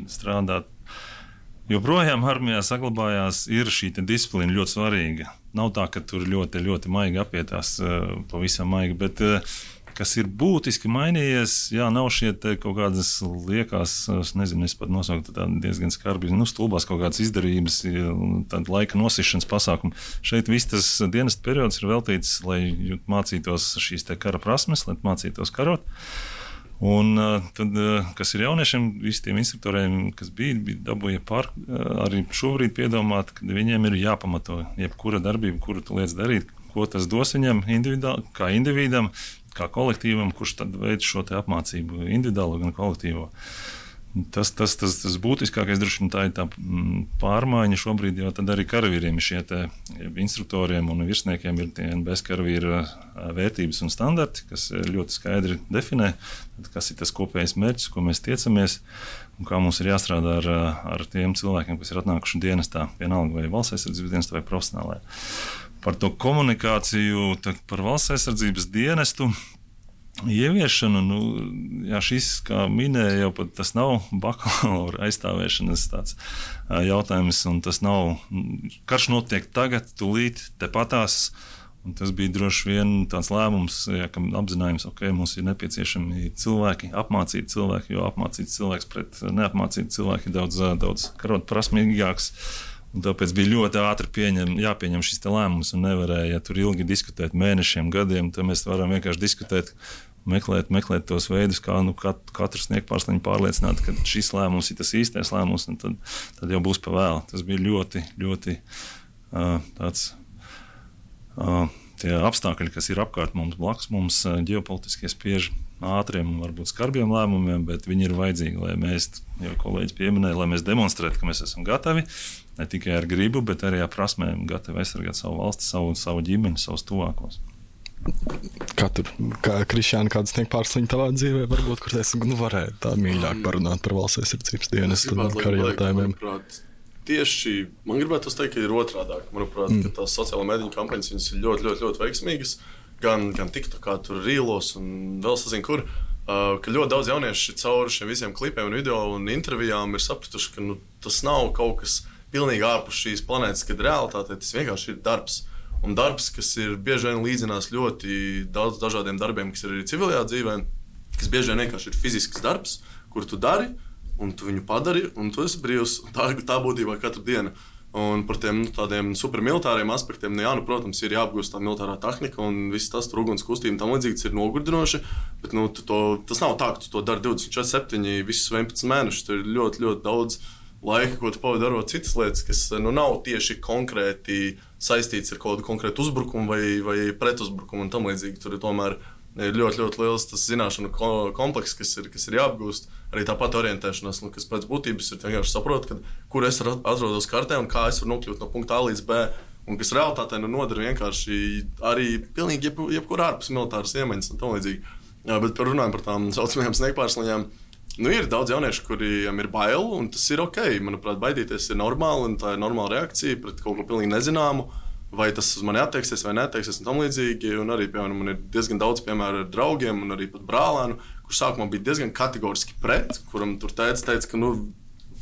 strādāt. Joprojām armijā saglabājās ir šī disciplīna ļoti svarīga. Nav tā, ka tur ļoti, ļoti maigi apietās, pavisam maigi, bet kas ir būtiski mainījies, jā, nav šie kaut kādas liekas, es nezinu, es pat nosauku tā diezgan skarbi, nu, stulbās kaut kādas izdarības, tāda laika nosišanas pasākuma. Šeit viss tas dienesta periods ir veltīts, lai mācītos šīs te kara prasmes, lai mācītos karot. Un tad, kas ir jauniešiem, visi tiem instruktoriem, kas bija, bija dabūja pār, arī šobrīd piedomāt, ka viņiem ir jāpamato jebkura darbība, kuru tu liec darīt, ko tas dos viņam individuāli, kā individam, kā kolektīvam, kurš tad veids šo te apmācību individuālo gan kolektīvo. Tas, tas, tas, tas būtiskākais droši vien tā ir tā pārmaiņa šobrīd, jo tad arī karavīriem šie te instruktoriem un virsniekiem ir tie N B S karavīra vērtības un standarti, kas ļoti skaidri definē, kas ir tas kopējais mērķis, ko mēs tiecamies un kā mums ir jāstrādā ar, ar tiem cilvēkiem, kas ir atnākuši dienestā, vienalga vai valsts aizsardzības dienestā vai profesionālajā. Par to komunikāciju, par valsts aizsardzības dienestu ieviešanu, nu, jā, šis, kā minēja, jau pat tas nav bakalaura aizstāvēšanas tāds jautājums, un tas nav, karš notiek tagad, tūlīt, tepatās, un tas bija droši vien tāds lēmums, jā, kam apzinājums, ok, mums ir nepieciešami cilvēki, apmācīti cilvēki, jo apmācīti cilvēks pret neapmācīti cilvēki ir daudz, daudz karot prasmīgāks. Un tāpēc bija ļoti ātri pieņem, jāpieņem šis lēmums un nevarēja ja tur ilgi diskutēt mēnešiem, gadiem. Tad mēs varam vienkārši diskutēt, meklēt, meklēt tos veidus, kā nu, kat, katrs sniegpārsliņu pārliecināt, ka šis lēmums ir tas īstais lēmums, un tad, tad jau būs pa vēlu. Tas bija ļoti, ļoti uh, tāds uh, tie apstākļi, kas ir apkārt mums blakus, mums uh, ģeopolitiskie spiež ātriem un varbūt skarbiem lēmumiem, bet viņi ir vajadzīgi, lai mēs, jau kolēģis pieminēja, lai mēs demonstrētu, ka mēs esam gatavi, ne tikai ar gribu, bet arī ar prasmēm gatavi aizsargāt savu valsti, savu, savu ģimeni, savus tuvākos. Kā tur, kā Krišjāna, kādas sniegt pārsliņu tavā dzīvē, varbūt, kur es nu, varētu tā mīļāk parunāt par valsts aizsardzības dienestu un karu jautājumiem? Tieši, man gribētu teikt, ka ir otrādāk. Manuprāt, mm. ka tās sociāla mēdīņu kampaņas viņas ir ļoti, ļoti, ļoti veiksmīgas. Gan, gan TikTokā, tur rīlos un vēl sazinu, kur. Uh, ka ļoti daudz jaunieši cauri šiem visiem klipiem un video un intervijām ir sapratuši, ka nu, tas nav kaut kas pilnīgi ārpus šīs planētas, kad realitātē tas vienkārši ir darbs. Un darbs, kas ir bieži vien līdzinās ļoti daudz dažādiem darbiem, kas ir arī civilajā dzīvē, kas bieži vien vienkārši ir fizisks darbs, kur tu dari, un tu viņu padari, un tu esi brīvs. Tā, tā būtībā katru dienu. Un par tiem nu, tādiem supermilitāriem aspektiem, nu, jā, nu, protams, ir jāapgūst tā militārā tehnika un viss tas tur uguns kustība tam līdzīgi, tas ir nogurdinoši, bet nu, to, tas nav tā, ka tu to dari divdesmit četri septiņi visus vienpadsmit mēnešus. Tur ir ļoti, ļoti daudz laika, ko tu pavadi darot citas lietas, kas nu, nav tieši konkrēti saistīts ar kaut kādu konkrētu uzbrukumu vai, vai pretuzbrukumu un tam līdzīgi. Tur ir tomēr ir ļoti, ļoti liels tas zināšanu komplekss, kas ir, kas ir jāapgūst. Arī tāpat orientēšanās, nu, kas pēc būtības ir vienkārši saprot, ka, kur es atrodos kartē un kā es varu nokļūt no punkta A līdz B. Un kas realitātē nu, nodara vienkārši arī pilnīgi jeb, jebkur ārpus militāras iemaņas un tam līdzīgi. Jā, bet par runājam par tām saucamajām sniegpārsliņām. Nu, ir daudz jauniešu, kuriem ir bail, un tas ir ok. Manuprāt, baidīties ir normāli, un tā ir normāla reakcija pret kaut ko pilnīgi nezināmu. Vai tas uz mani attieksies vai neattieksies un tam līdzīgi. Un arī, piemēram, man ir diezgan daudz piemēru ar draugiem un arī pat brālēnu, kurš sākumā bija diezgan kategoriski pret, kuram tur teica, teica ka, nu,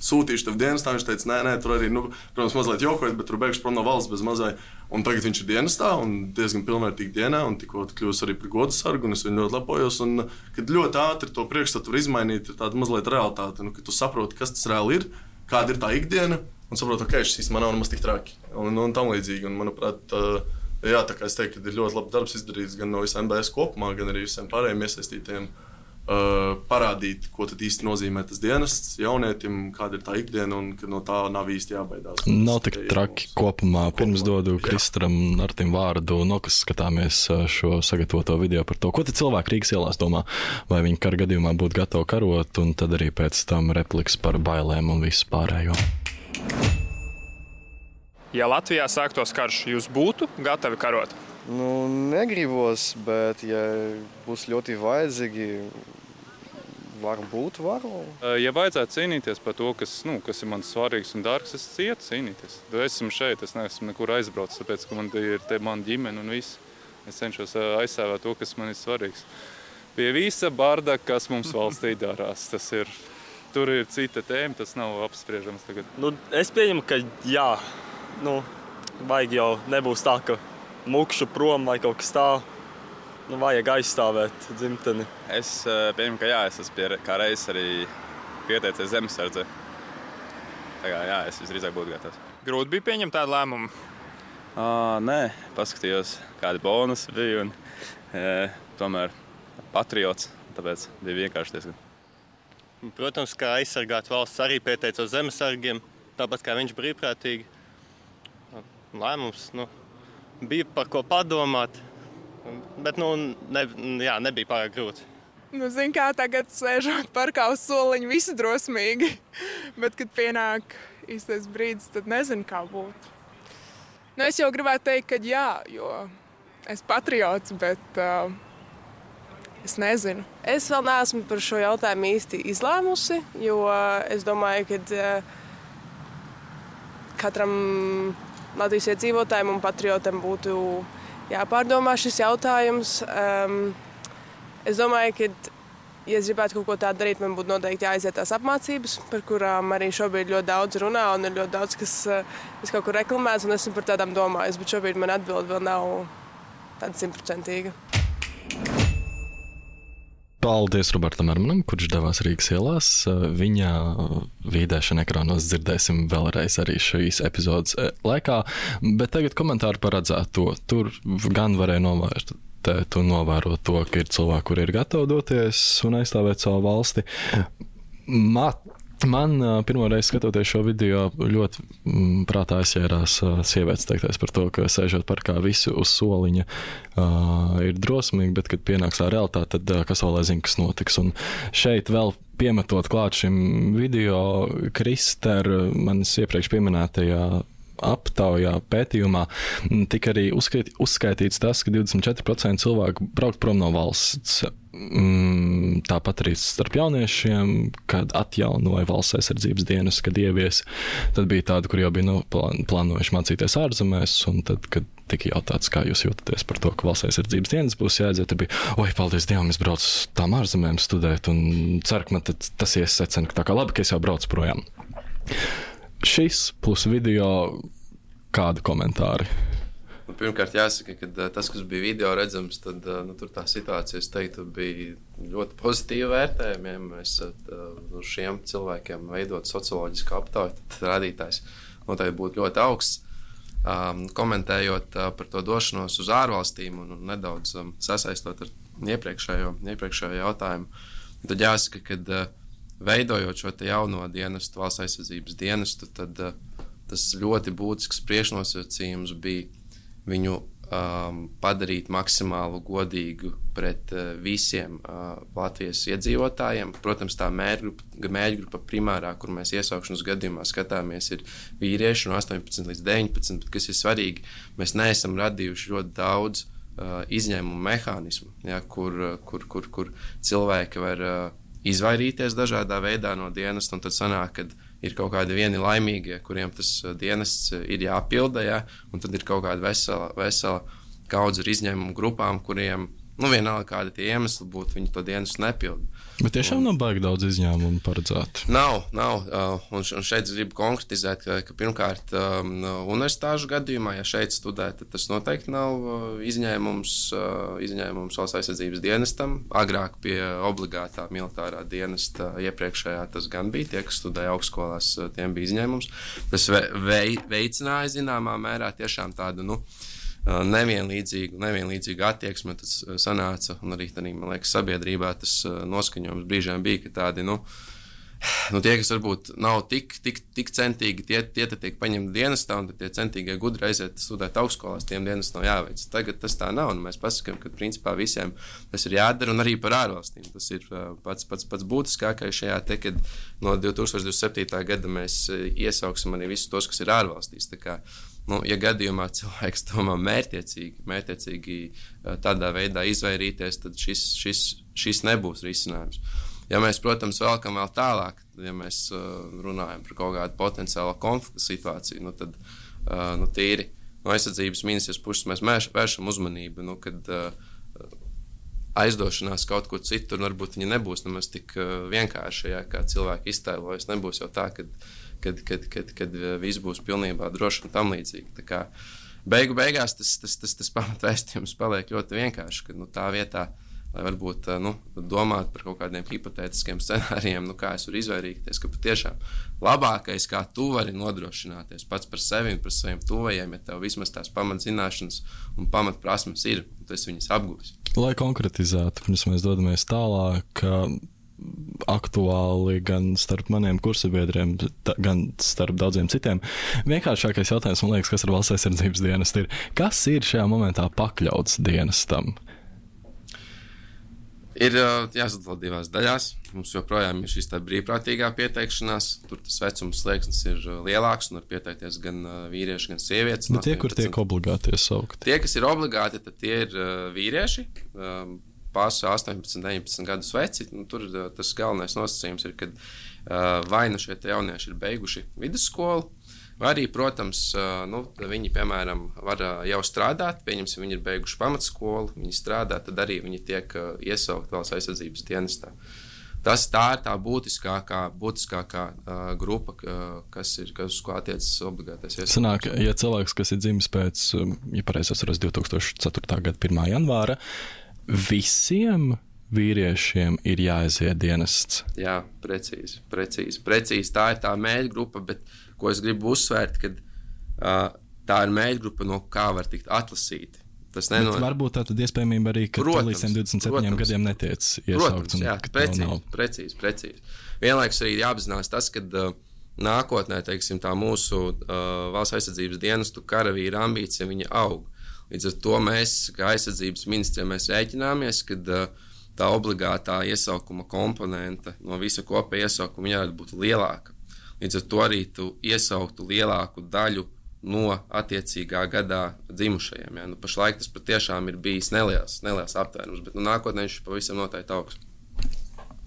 sūtīšu tev dienestā. Viņš teica, nē, nē, tur arī, nu, protams, mazliet jokojot, bet tur beigšu prom no valsts bez mazai. Un tagad viņš ir dienestā un diezgan pilnvērtīgi dienā, un tikko kļūst arī par godu sargu, un es viņu ļoti lepojos. Un, kad ļoti ātri to priekšstatu var izmainīt, ir tāda mazliet realitāte, nu, kad tu saproti, kas tas reāli ir, kāda ir tā ikdiena. Un saprotu, ka šis man nav nemaz tik traki. Un, un tam līdzīgi. Un, manuprāt, jā, tā kā es teiktu, ka ir ļoti labs darbs izdarīts gan no visiem N B S kopumā, gan arī visiem pārējiem iesaistītiem. Uh, parādīt, ko tad īsti nozīmē tas dienests jaunietim, kāda ir tā ikdiena un ka no tā nav īsti jābaidās. Nav tik traki kopumā. Pirms dodu Kristaram Artim vārdu, no kas skatāmies šo sagatavoto video par to, ko tad cilvēki Rīgas ielās domā, vai viņi kara gadījumā būtu gatavi karot, un tad arī pēc tam repliks par bailēm un visu pārējo. Ja Latvijā sāktos karš, jūs būtu gatavi karot? Nu, negribos, bet ja būs ļoti vajadzīgi, varbūt varu. Ja vajadzētu cīnīties par to, kas, nu, kas ir man svarīgs un dārgs, es ietu cīnīties. Esmu šeit, es neesmu nekur aizbraucis, tāpēc, ka man ir te mana ģimene un viss. Es cenšos aizstāvēt to, kas man ir svarīgs. Pie visa barda, kas mums valstī darās, tas ir, tur ir cita tēma, tas nav apspriežams tagad. Nu, es pieņemu, ka jā, nu, vajag jau nebūs tā, ka mukšu prom vai kaut kas tā, nu, vajag aizstāvēt dzimteni. Es pieņemu, ka jā, es esmu pie, kā reizes arī pieteicies zemesardze. Tā kā jā, es visdrīzāk būtu gatavs. Grūti bija pieņemt tādu lēmumu? À, nē, paskatījos, kādi bonusi bija un e, tomēr patriots, tāpēc bija vienkārši diezgan. Protams, kā aizsargāt valsts arī pieteicos zemesargiem, tāpat kā viņš brīvprātīgi. Lēmums, nu, bija par ko padomāt, bet nu, ne, jā, nebija pārāk grūti. Nu, zin kā tagad sēžot parkā uz soliņu visi drosmīgi, bet, kad pienāk īstais brīdis, tad nezinu, kā būtu. Nu, es jau gribētu teikt, ka jā, jo es patriots, bet uh, es nezinu. Es vēl neesmu par šo jautājumu īsti izlēmusi, jo es domāju, ka uh, katram Latvijas iedzīvotājiem un patriotam būtu jāpārdomā šis jautājums. Um, es domāju, ka, ja es gribētu kaut ko tādu darīt, man būtu noteikti jāaiziet tās apmācības, par kurām arī šobrīd ļoti daudz runā un ir ļoti daudz, kas uh, kaut kur reklamēts, un esmu par tādām domājis, bet šobrīd man atbilde vēl nav tāda simtprocentīga. Paldies Robertam Ermanam, kurš devās Rīgas ielās. Viņa vīdēšana ekrānos dzirdēsim vēlreiz arī šīs epizodes laikā, bet tagad komentāri par redzēto. Tur gan varēja novērtēt un novērot to, ka ir cilvēki, kuri ir gatavi doties un aizstāvēt savu valsti. Mat Man pirmo reizi skatoties šo video ļoti m, prātā aizķērās sievietes teiktais par to, ka sēžot parkā visi uz soliņa uh, ir drosmīgi, bet kad pienāks tā realitāte, tad uh, kas vēl lai zina, kas notiks. Un šeit vēl piemetot klāt šim video, Krister, manis iepriekš pieminētajā aptaujā, pētījumā, tika arī uzskait, uzskaitīts tas, ka divdesmit četri procenti cilvēku braukt prom no valsts. Tāpat arī starp jauniešiem, kad atjaunoja valsts aizsardzības dienas, kad ievies, tad bija tādi, kur jau bija nu, plānojuši mācīties ārzemēs, un tad, kad tika jautāts, kā jūs jūtaties par to, ka valsts aizsardzības dienas būs jāaiziet, tad bija, oi, paldies Dievam, es braucu uz tām ārzemēm studēt, un ceru, ka man tad tas iesecina, ka tā kā labi, ka es jau braucu projām. Šis plus video, kādi komentāri? Nu, pirmkārt jāsaka, ka tas, kas bija video redzams, tad nu, tur tā situācija, es teiktu, bija ļoti pozitīva vērtējumiem. Mēs nu, šiem cilvēkiem veidot socioloģisku aptauju, tad rādītājs noteikti būtu ļoti augsts. Um, komentējot uh, par to došanos uz ārvalstīm un, un nedaudz um, sasaistot ar iepriekšējo, iepriekšējo jautājumu, tad jāsaka, ka uh, veidojot šo te jauno dienestu, valsts aizsardzības dienestu, tad uh, tas ļoti būtisks priekšnosacījums bija viņu um, padarīt maksimāli godīgu pret uh, visiem uh, Latvijas iedzīvotājiem. Protams, tā mērķgrupa, mērķgrupa primārā, kur mēs iesaukšanas gadījumā skatāmies, ir vīrieši no astoņpadsmit līdz deviņpadsmit, bet kas ir svarīgi, mēs neesam radījuši ļoti daudz uh, izņēmumu mehānismu, ja, kur, kur, kur, kur cilvēki var uh, izvairīties dažādā veidā no dienas, un tad sanāk, kad ir kaut kādi vieni laimīgie, kuriem tas dienests ir jāpilda, ja? Un tad ir kaut kāda vesela, vesela kaudze ar izņēmumu grupām, kuriem, nu, vienalga kādi tie iemesli būtu, viņi to dienestu nepilda. Bet tiešām nav baigi daudz izņēmumu paredzēt? Nav, nav. Un šeit es gribu konkretizēt, ka, ka pirmkārt universitāšu gadījumā, ja šeit studē, tad tas noteikti nav izņēmums, izņēmums valsts aizsardzības dienestam. Agrāk pie obligātā militārā dienesta iepriekšējā tas gan bija, tie, kas studēja augstskolās, tiem bija izņēmums. Tas vei, veicināja zināmā mērā tiešām tādu, nu, nevienlīdzīgu, nevienlīdzīgu attieksmi, tas sanāca, un arī, arī, man liekas, sabiedrībā tas noskaņojums brīžiem bija, ka tādi, nu, nu tie, kas varbūt nav tik, tik, tik centīgi, tie, tie tad tiek paņemti dienestā, un tad tie centīgie gudri aiziet studēt augstskolās, tiem dienas nav jāveic. Tagad tas tā nav, un mēs pasakām, ka principā visiem tas ir jādara, un arī par ārvalstīm. Tas ir pats, pats, pats būtiskākais šajā te, kad no divi tūkstoši divdesmit septītā gada mēs iesauksim arī visus tos, kas ir ārvalstīs. Tā kā, nu, ja gadījumā cilvēks domā mērķiecīgi, mērķiecīgi tādā veidā izvairīties, tad šis, šis, šis nebūs risinājums. Ja mēs, protams, vēlkam vēl tālāk, ja mēs runājam par kaut kādu potenciālo konflikta situāciju, nu, tad nu, tīri no aizsardzības ministrijas puses mēs vēršam uzmanību, nu, kad aizdošanās kaut kur citur, varbūt viņa nebūs nemaz tik vienkārši, ja, kā cilvēki iztēlojas, nebūs jau tā, kad Kad, kad, kad, kad viss būs pilnībā droši un tam līdzīgi. Tā kā beigu beigās tas, tas, tas, tas pamatvēstījums paliek ļoti vienkārši, ka nu, tā vietā, lai varbūt nu, domāt par kaut kādiem hipotētiskiem scenārijiem, nu, kā es varu izvairīties, ka patiešām labākais, kā tu vari nodrošināties pats par sevi un par saviem tuvajiem, ja tev vismaz tās pamatzināšanas un pamatprasmes ir, un tu esi viņas apguvis. Lai konkretizētu, pirms mēs dodamies tālāk, aktuāli gan starp maniem kursabiedriem, gan starp daudziem citiem. Vienkāršākais jautājums, man liekas, kas ar valsts aizsardzības dienestu ir, kas ir šajā momentā pakļauts dienestam? Ir jāsadala divās daļās. Mums joprojām ir šīs tā brīvprātīgā pieteikšanās. Tur tas vecums slieksnis ir lielāks un var pieteikties gan vīrieši, gan sievietes. Bet tie, kur tiek obligāti iesaukt? Tie, kas ir obligāti, tad tie ir vīrieši, pārsvarā astoņpadsmit, deviņpadsmit gadus veci. Nu, tur tas galvenais nosacījums ir, ka vai nu šie jaunieši ir beiguši vidusskolu, vai arī, protams, nu, viņi, piemēram, var jau strādāt, pieņemsim, viņi ir beiguši pamatskolu, viņi strādā, tad arī viņi tiek iesaukt valsts aizsardzības dienestā. Tas tā ir tā būtiskākā, būtiskākā uh, grupa, kas ir, kas uz ko attiecas obligātais iesaukums. Sanāk, ja cilvēks, kas ir dzimis pēc, ja pareizi atceros, divi tūkstoši ceturtā gada pirmā janvāra, visiem vīriešiem ir jāaiziet dienests. Jā, precīzi, precīzi, precīzi. Tā ir tā mērķgrupa, bet ko es gribu uzsvērt, ka uh, tā ir mērķgrupa, no kā var tikt atlasīti. Tas nenor... Varbūt tā tad iespējamība arī, ka līdz divdesmit septiņiem gadiem netiec iesaukts. Protams, jā, precīzi, precīzi, precīzi. Vienlaikus arī jāapzinās tas, ka uh, nākotnē, teiksim, tā mūsu uh, valsts aizsardzības dienestu karavīra ambīcija, viņa aug. Līdz ar to mēs, kā aizsardzības ministrija, mēs rēķināmies, ka uh, tā obligātā iesaukuma komponente no visa kopēja iesaukuma jābūt būt lielāka. Līdz ar to arī tu iesauktu lielāku daļu no attiecīgā gadā dzimušajiem. Ja? Nu, pašlaik tas patiešām ir bijis neliels, neliels aptvērums, bet nu, nākotnē viņš pavisam noteikti augs.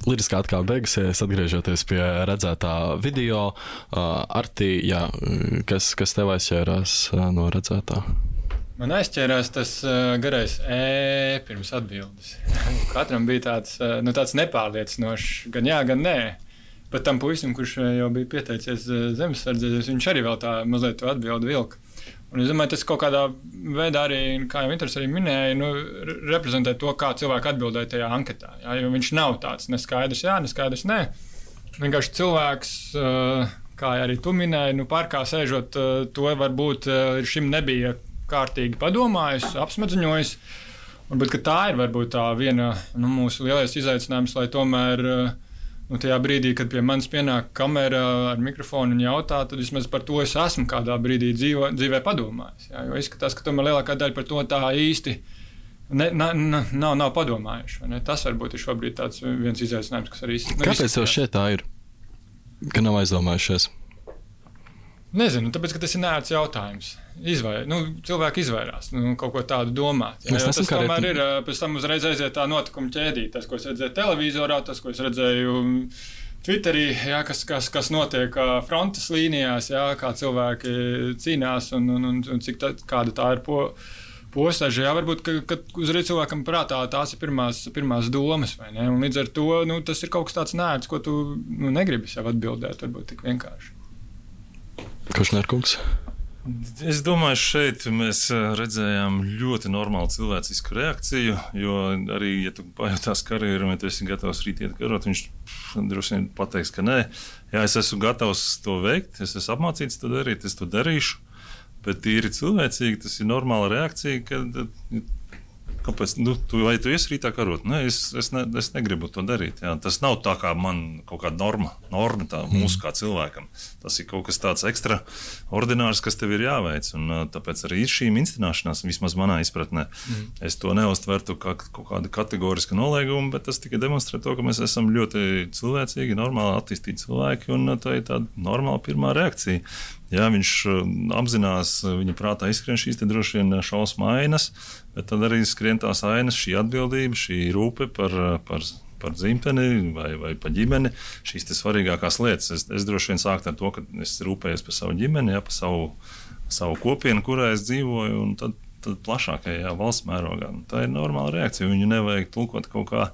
Liriskā atkal beigusies, atgriežoties pie redzētā video. Uh, Arti, jā, kas, kas tev aizķērās uh, no redzētā? Man aizķērās tas uh, garais E pirms atbildes. Katram bija tāds, uh, nu, tāds nepārliecinošs, gan jā, gan nē. Bet tam puisim, kurš jau bija pieteicies zemesardzēs, viņš arī vēl tā mazliet to atbildi vilka. Un es domāju, tas kaut kādā veidā arī, kā jau Inters arī minēja, nu, reprezentē to, kā cilvēki atbildēja tajā anketā. Jā, jo viņš nav tāds neskaidrs jā, neskaidrs nē. Vienkārši cilvēks, kā arī tu minēji, nu, parkā sēžot, to varbūt šim nebija kārtīgi padomājis, apsmadziņojis. Un, bet tā ir varbūt tā viena nu, mūsu lielais izaicinājums, lai tomēr nu, tajā brīdī, kad pie manis pienāk kamera ar mikrofonu un jautā, tad vismaz par to es esmu kādā brīdī dzīvo, dzīvē padomājis. Jā, jo izskatās, ka tomēr lielākā daļa par to tā īsti ne, na, na, nav, nav padomājuši. Ne? Tas varbūt ir šobrīd tāds viens izaicinājums, kas arī izskatās. Kāpēc tev šeit tā ir, ka nav aizdomājušies? Nezinu, tāpēc, ka tas ir neērts jautājums. Izvair, nu, cilvēki izvairās nu, kaut ko tādu domāt. Jā, tas tomēr ir, pēc tam uzreiz aiziet tā notikuma ķēdīt. Tas, ko es redzēju televizorā, tas, ko es redzēju Twitterī, jā, kas, kas, kas notiek frontes līnijās, jā, kā cilvēki cīnās un, un, un, un cik tā, kāda tā ir po, postaža. Jā, varbūt, ka, ka uzreiz cilvēkam prātā tās ir pirmās, pirmās domas, vai ne? Un līdz ar to nu, tas ir kaut kas tāds neērts, ko tu nu, negribi sev atbildēt, varbūt tik vienkārši. Košnērkungs? Es domāju, šeit mēs redzējām ļoti normālu cilvēcisku reakciju, jo arī, ja tu pajautās karjeru, ja tu esi gatavs rīt iet karot, viņš droši vien pateiks, ka nē. Jā, es esmu gatavs to veikt, es esmu apmācīts to darīt, es to darīšu, bet tīri cilvēcīgi tas ir normāla reakcija, kad kāpēc, nu, tu, vai tu iesi rītā karot? Nē, es, es, ne, es negribu to darīt. Jā. Tas nav tā kā man kaut kāda norma, norma tā mūsu kā cilvēkam. Tas ir kaut kas tāds ekstraordinārs, kas tev ir jāveic. Un, tāpēc arī ir šī instinēšanās, vismaz manā izpratnē. Mm. Es to neuztvertu kā kaut kādu kategorisku noliegumu, bet tas tikai demonstrē to, ka mēs esam ļoti cilvēcīgi, normāli attīstīti cilvēki, un tā ir tāda normāla pirmā reakcija. Jā, viņš apzinās, viņa prātā izskrien šīs te droši vien šausmu ainas, bet tad arī skrien tās ainas, šī atbildība, šī rūpe par, par, par dzimteni vai, vai par ģimeni, šīs te svarīgākās lietas. Es, es droši vien sāktu ar to, ka es rūpējos par savu ģimeni, jā, par savu, savu kopienu, kurā es dzīvoju, un tad, tad plašākajā valsts mērogā. Tā ir normāla reakcija, viņu nevajag tulkot kaut kā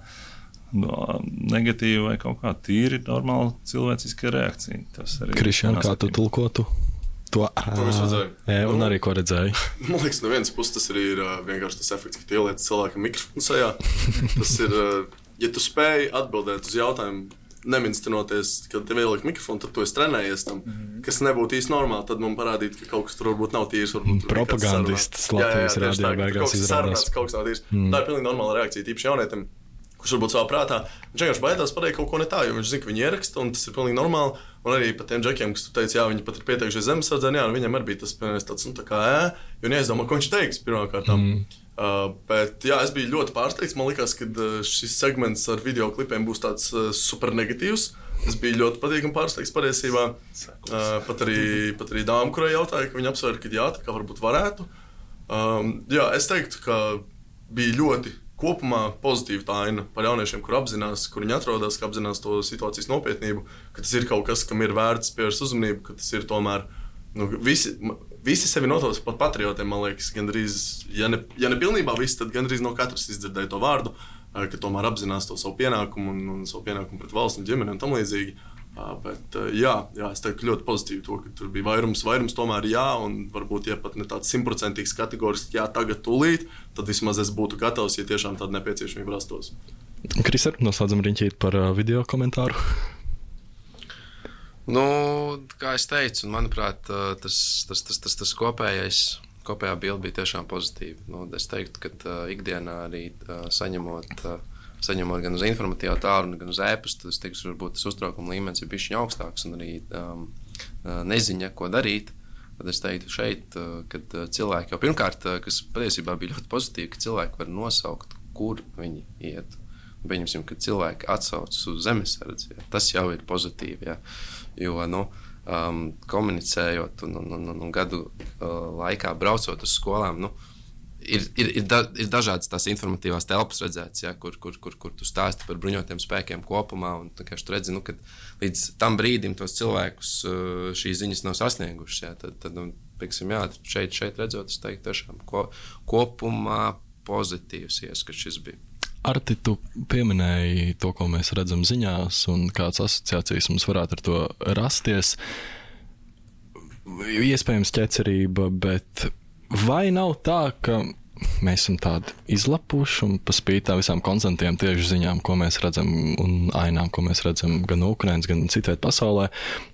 no, negatīva vai kaut kā tīri normāla cilvēciska reakcija. Krišjān, kā tu tulkotu? To, to es redzēju. Jā, un arī ko redzēju. Man liekas, no vienas puses tas arī ir uh, vienkārši tas efekts, ka tu ieliec cilvēkam mikrofonu sajā. Tas ir, uh, ja tu spēj atbildēt uz jautājumu, neminstinoties, kad tev ieliek mikrofonu, tad tu esi trenējies tam, mm-hmm. kas nebūtu īsti normāli, tad man parādīt, ka kaut kas tur varbūt nav tīrs. Propagandists Latvijas rādio beigās izrādās. Kaut kas sarunāts, kaut kas nav tīrs. Mm. Tā ir pilnīgi normāla reakcija, tīpaši jaunietim. kurš varbūt savā prātā, viņš vienkārši baidās pateikt kaut ko ne tā, jo viņš zina, ka viņi ieraksta, un tas ir pilnīgi normāli. Un arī par tiem džekiem, kas tu teici, jā, viņi pat ir pieteikušies zemesardzē, jā, un viņam arī bija tas tāds, nu, tā kā, ē, jo neaizdomā, ko viņš teiks pirmkārtām. Mm. Uh, bet, jā, es biju ļoti pārsteigts. Man likās, ka šis segments ar video klipiem būs tāds uh, super negatīvs. Es biju ļoti patīkami pārsteigts patiesībā. Uh, pat arī, pat arī dāma, kurai jautāja, ka viņa apsvēra, ka jā, tā kā varbūt varētu. Um, jā, es teiktu, ka bija ļoti kopumā pozitīva tā aina par jauniešiem, kur apzinās, kur viņi atrodas, ka apzinās to situācijas nopietnību, ka tas ir kaut kas, kam ir vērts pievērst uzmanību, ka tas ir tomēr, nu, visi... Visi sevi notauc par patriotiem, man liekas, gandrīz, ja ne, ja ne pilnībā visi, tad gandrīz no katras izdzirdēja to vārdu, ka tomēr apzinās to savu pienākumu un, un savu pienākumu pret valsts un ģimeni un tam līdzīgi. Bet jā, jā, es teiktu ļoti pozitīvi to, ka tur bija vairums, vairums tomēr jā, un varbūt, ja pat ne tāds simtprocentīgs kategoriski jā, tagad tūlīt, tad vismaz es būtu gatavs, ja tiešām tāda nepieciešamība rastos. Kriser, noslēdzam riņķīt par video komentāru. Nu, kā es teicu, manuprāt, tas, tas, tas, tas, tas kopējais, kopējā bilde bija tiešām pozitīva. Nu, es teiktu, ka uh, ikdienā arī uh, saņemot, uh, saņemot gan uz informatīvā tālruni, gan uz ēpastu, tas teiktu, varbūt tas uztraukuma līmenis ir bišķiņ augstāks un arī um, neziņa, ko darīt. Tad es teiktu šeit, uh, kad cilvēki jau pirmkārt, uh, kas patiesībā bija ļoti pozitīvi, ka cilvēki var nosaukt, kur viņi iet. Pieņemsim, ka cilvēki atsaucas uz zemesardzi, ja. Tas jau ir pozitīvi, ja. Jo, nu, um, komunicējot un, un, un, un gadu uh, laikā braucot uz skolām, nu, ir, ir, ir, da, ir dažādas tās informatīvās telpas redzētas, ja, kur, kur, kur, kur tu stāsti par bruņotiem spēkiem kopumā, un tu redzi, nu, kad līdz tam brīdim tos cilvēkus uh, šīs ziņas nav sasniegušas, ja, tad, tad nu, pieksim, jā, šeit, šeit redzot, es teiktu tiešām ko, kopumā pozitīvs ieskats šis bija. Arti, tu pieminēji to, ko mēs redzam ziņās, un kādas asociācijas mums varētu ar to rasties. Iespējams ķecerība, bet vai nav tā, ka mēs esam tādi izlapuši un pa spītā visām konstantiem tieši ziņām, ko mēs redzam, un ainām, ko mēs redzam gan no Ukrainas, gan citviet pasaulē,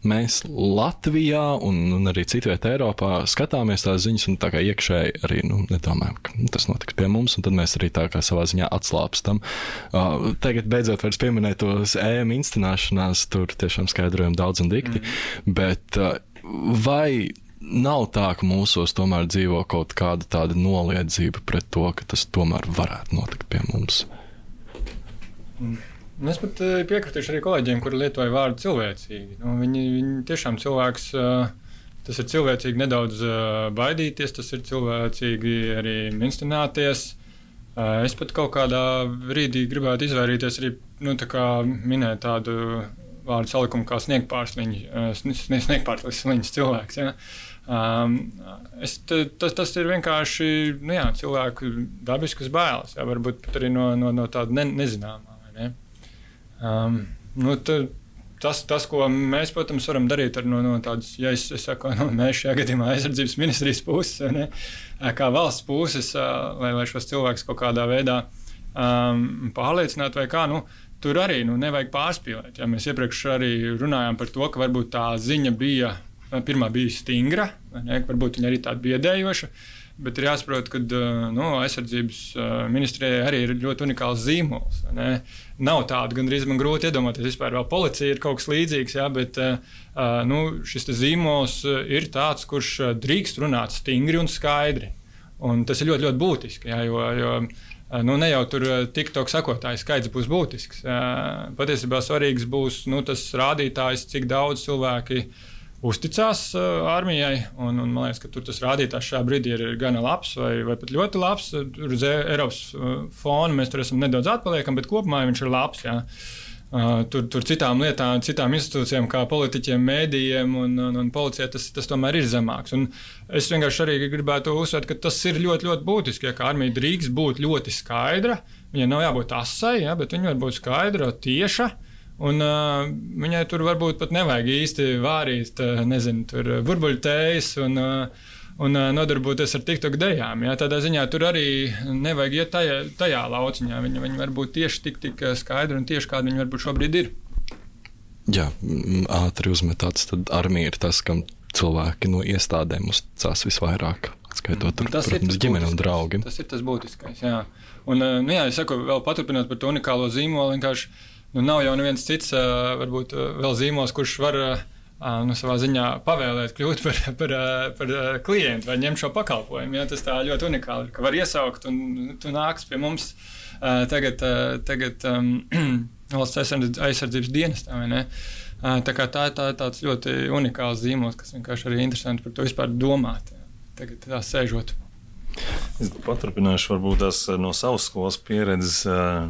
mēs Latvijā un, un arī citviet Eiropā skatāmies tās ziņas un tā kā iekšēji arī, nu, nedomājam, ka tas notiks pie mums, un tad mēs arī tā kā savā ziņā atslāpstam. Uh, tagad beidzot vairs pieminēt tos E M instinēšanās, tur tiešām skaidrojam daudz un dikti, mm. bet uh, vai nav tā, ka mūsos tomēr dzīvo kaut kāda tāda noliedzība pret to, ka tas tomēr varētu notikt pie mums? Es pat piekritīšu arī kolēģiem, kuri lietoja vārdu cilvēcīgi. Nu, viņi, viņi tiešām cilvēks, tas ir cilvēcīgi nedaudz baidīties, tas ir cilvēcīgi arī minstināties. Es pat kaut kādā brīdī gribētu izvairīties arī, nu, tā kā minēt tādu vārdu salikumu kā sniegpārsliņš, sniegpārsliņš cilvēks, ja? Um, es, tas, tas ir vienkārši, nu jā, cilvēku dabiskas bailes, jā, varbūt pat arī no, no, no tāda ne, nezināmā, vai ne? Um, nu, ta, tas, tas, ko mēs, protams, varam darīt ar no, no tādas, ja es, es saku, no mēs šajā gadījumā aizsardzības ministrijas puses, vai ne, kā valsts puses, lai, lai šos cilvēkus kaut kādā veidā um, pārliecināt vai kā, nu, tur arī, nu, nevajag pārspīlēt, ja mēs iepriekš arī runājām par to, ka varbūt tā ziņa bija pirmā bija stingra, ne, varbūt viņa arī tāda biedējoša, bet ir jāsaprot, ka nu, aizsardzības ministrijai arī ir ļoti unikāls zīmols. Ne. Nav tādu, gandrīz man grūti iedomāties, vispār vēl policija ir kaut kas līdzīgs, jā, bet nu, šis zīmols ir tāds, kurš drīkst runāt stingri un skaidri. Un tas ir ļoti, ļoti būtiski, jā, jo, jo nu, ne jau tur TikTok sakotāju skaits būs būtisks. Patiesībā svarīgs būs nu, tas rādītājs, cik daudz cilvēki uzticās uh, armijai, un, un man liekas, ka tur tas rādītājs šā brīdī ir gana labs vai, vai pat ļoti labs. Tur uz Eiropas uh, fona mēs tur esam nedaudz atpaliekam, bet kopumā viņš ir labs. Jā. Uh, tur, tur citām lietām, citām institūcijām, kā politiķiem, mēdījiem un, un, un policijai, tas, tas tomēr ir zemāks. Un es vienkārši arī gribētu uzsvērt, ka tas ir ļoti, ļoti būtiski, ja, ka armija drīkst būt ļoti skaidra. Viņai nav jābūt asai, ja, bet viņa var būt skaidra, tieša. Un uh, viņai tur varbūt pat nevajag īsti vārīt, uh, nezinu, tur burbuļtējas un, uh, un uh, nodarboties ar TikTok dejām. Ja? Tādā ziņā tur arī nevajag iet tajā, tajā lauciņā. Viņi, viņi var būt tieši tik, tik skaidri un tieši kādi viņi varbūt šobrīd ir. Jā, ātri uzmetāts, tad armija ir tas, kam cilvēki no iestādēm uzticās visvairāk. Skaitot, tur, protams, ģimene un draugi. Tas ir tas būtiskais, jā. Un, nu jā, es saku, vēl paturpinot par to unikālo zīmolu, vienkārši, nu nav jau neviens cits, varbūt vēl zīmols, kurš var, nu, savā ziņā pavēlēt kļūt par, par, par klientu vai ņemt šo pakalpojumu, jā. Tas tā ļoti unikāli, ka var iesaukt un tu nāks pie mums tagad, tagad um, valsts aizsardzības dienestā, vai ne? Tā kā tā, tā tāds ļoti unikāls zīmols, kas vienkārši arī interesanti par to vispār domāt, jā. Tagad tā sēžot. Es paturpināšu varbūt tās no savas skolas pieredzes,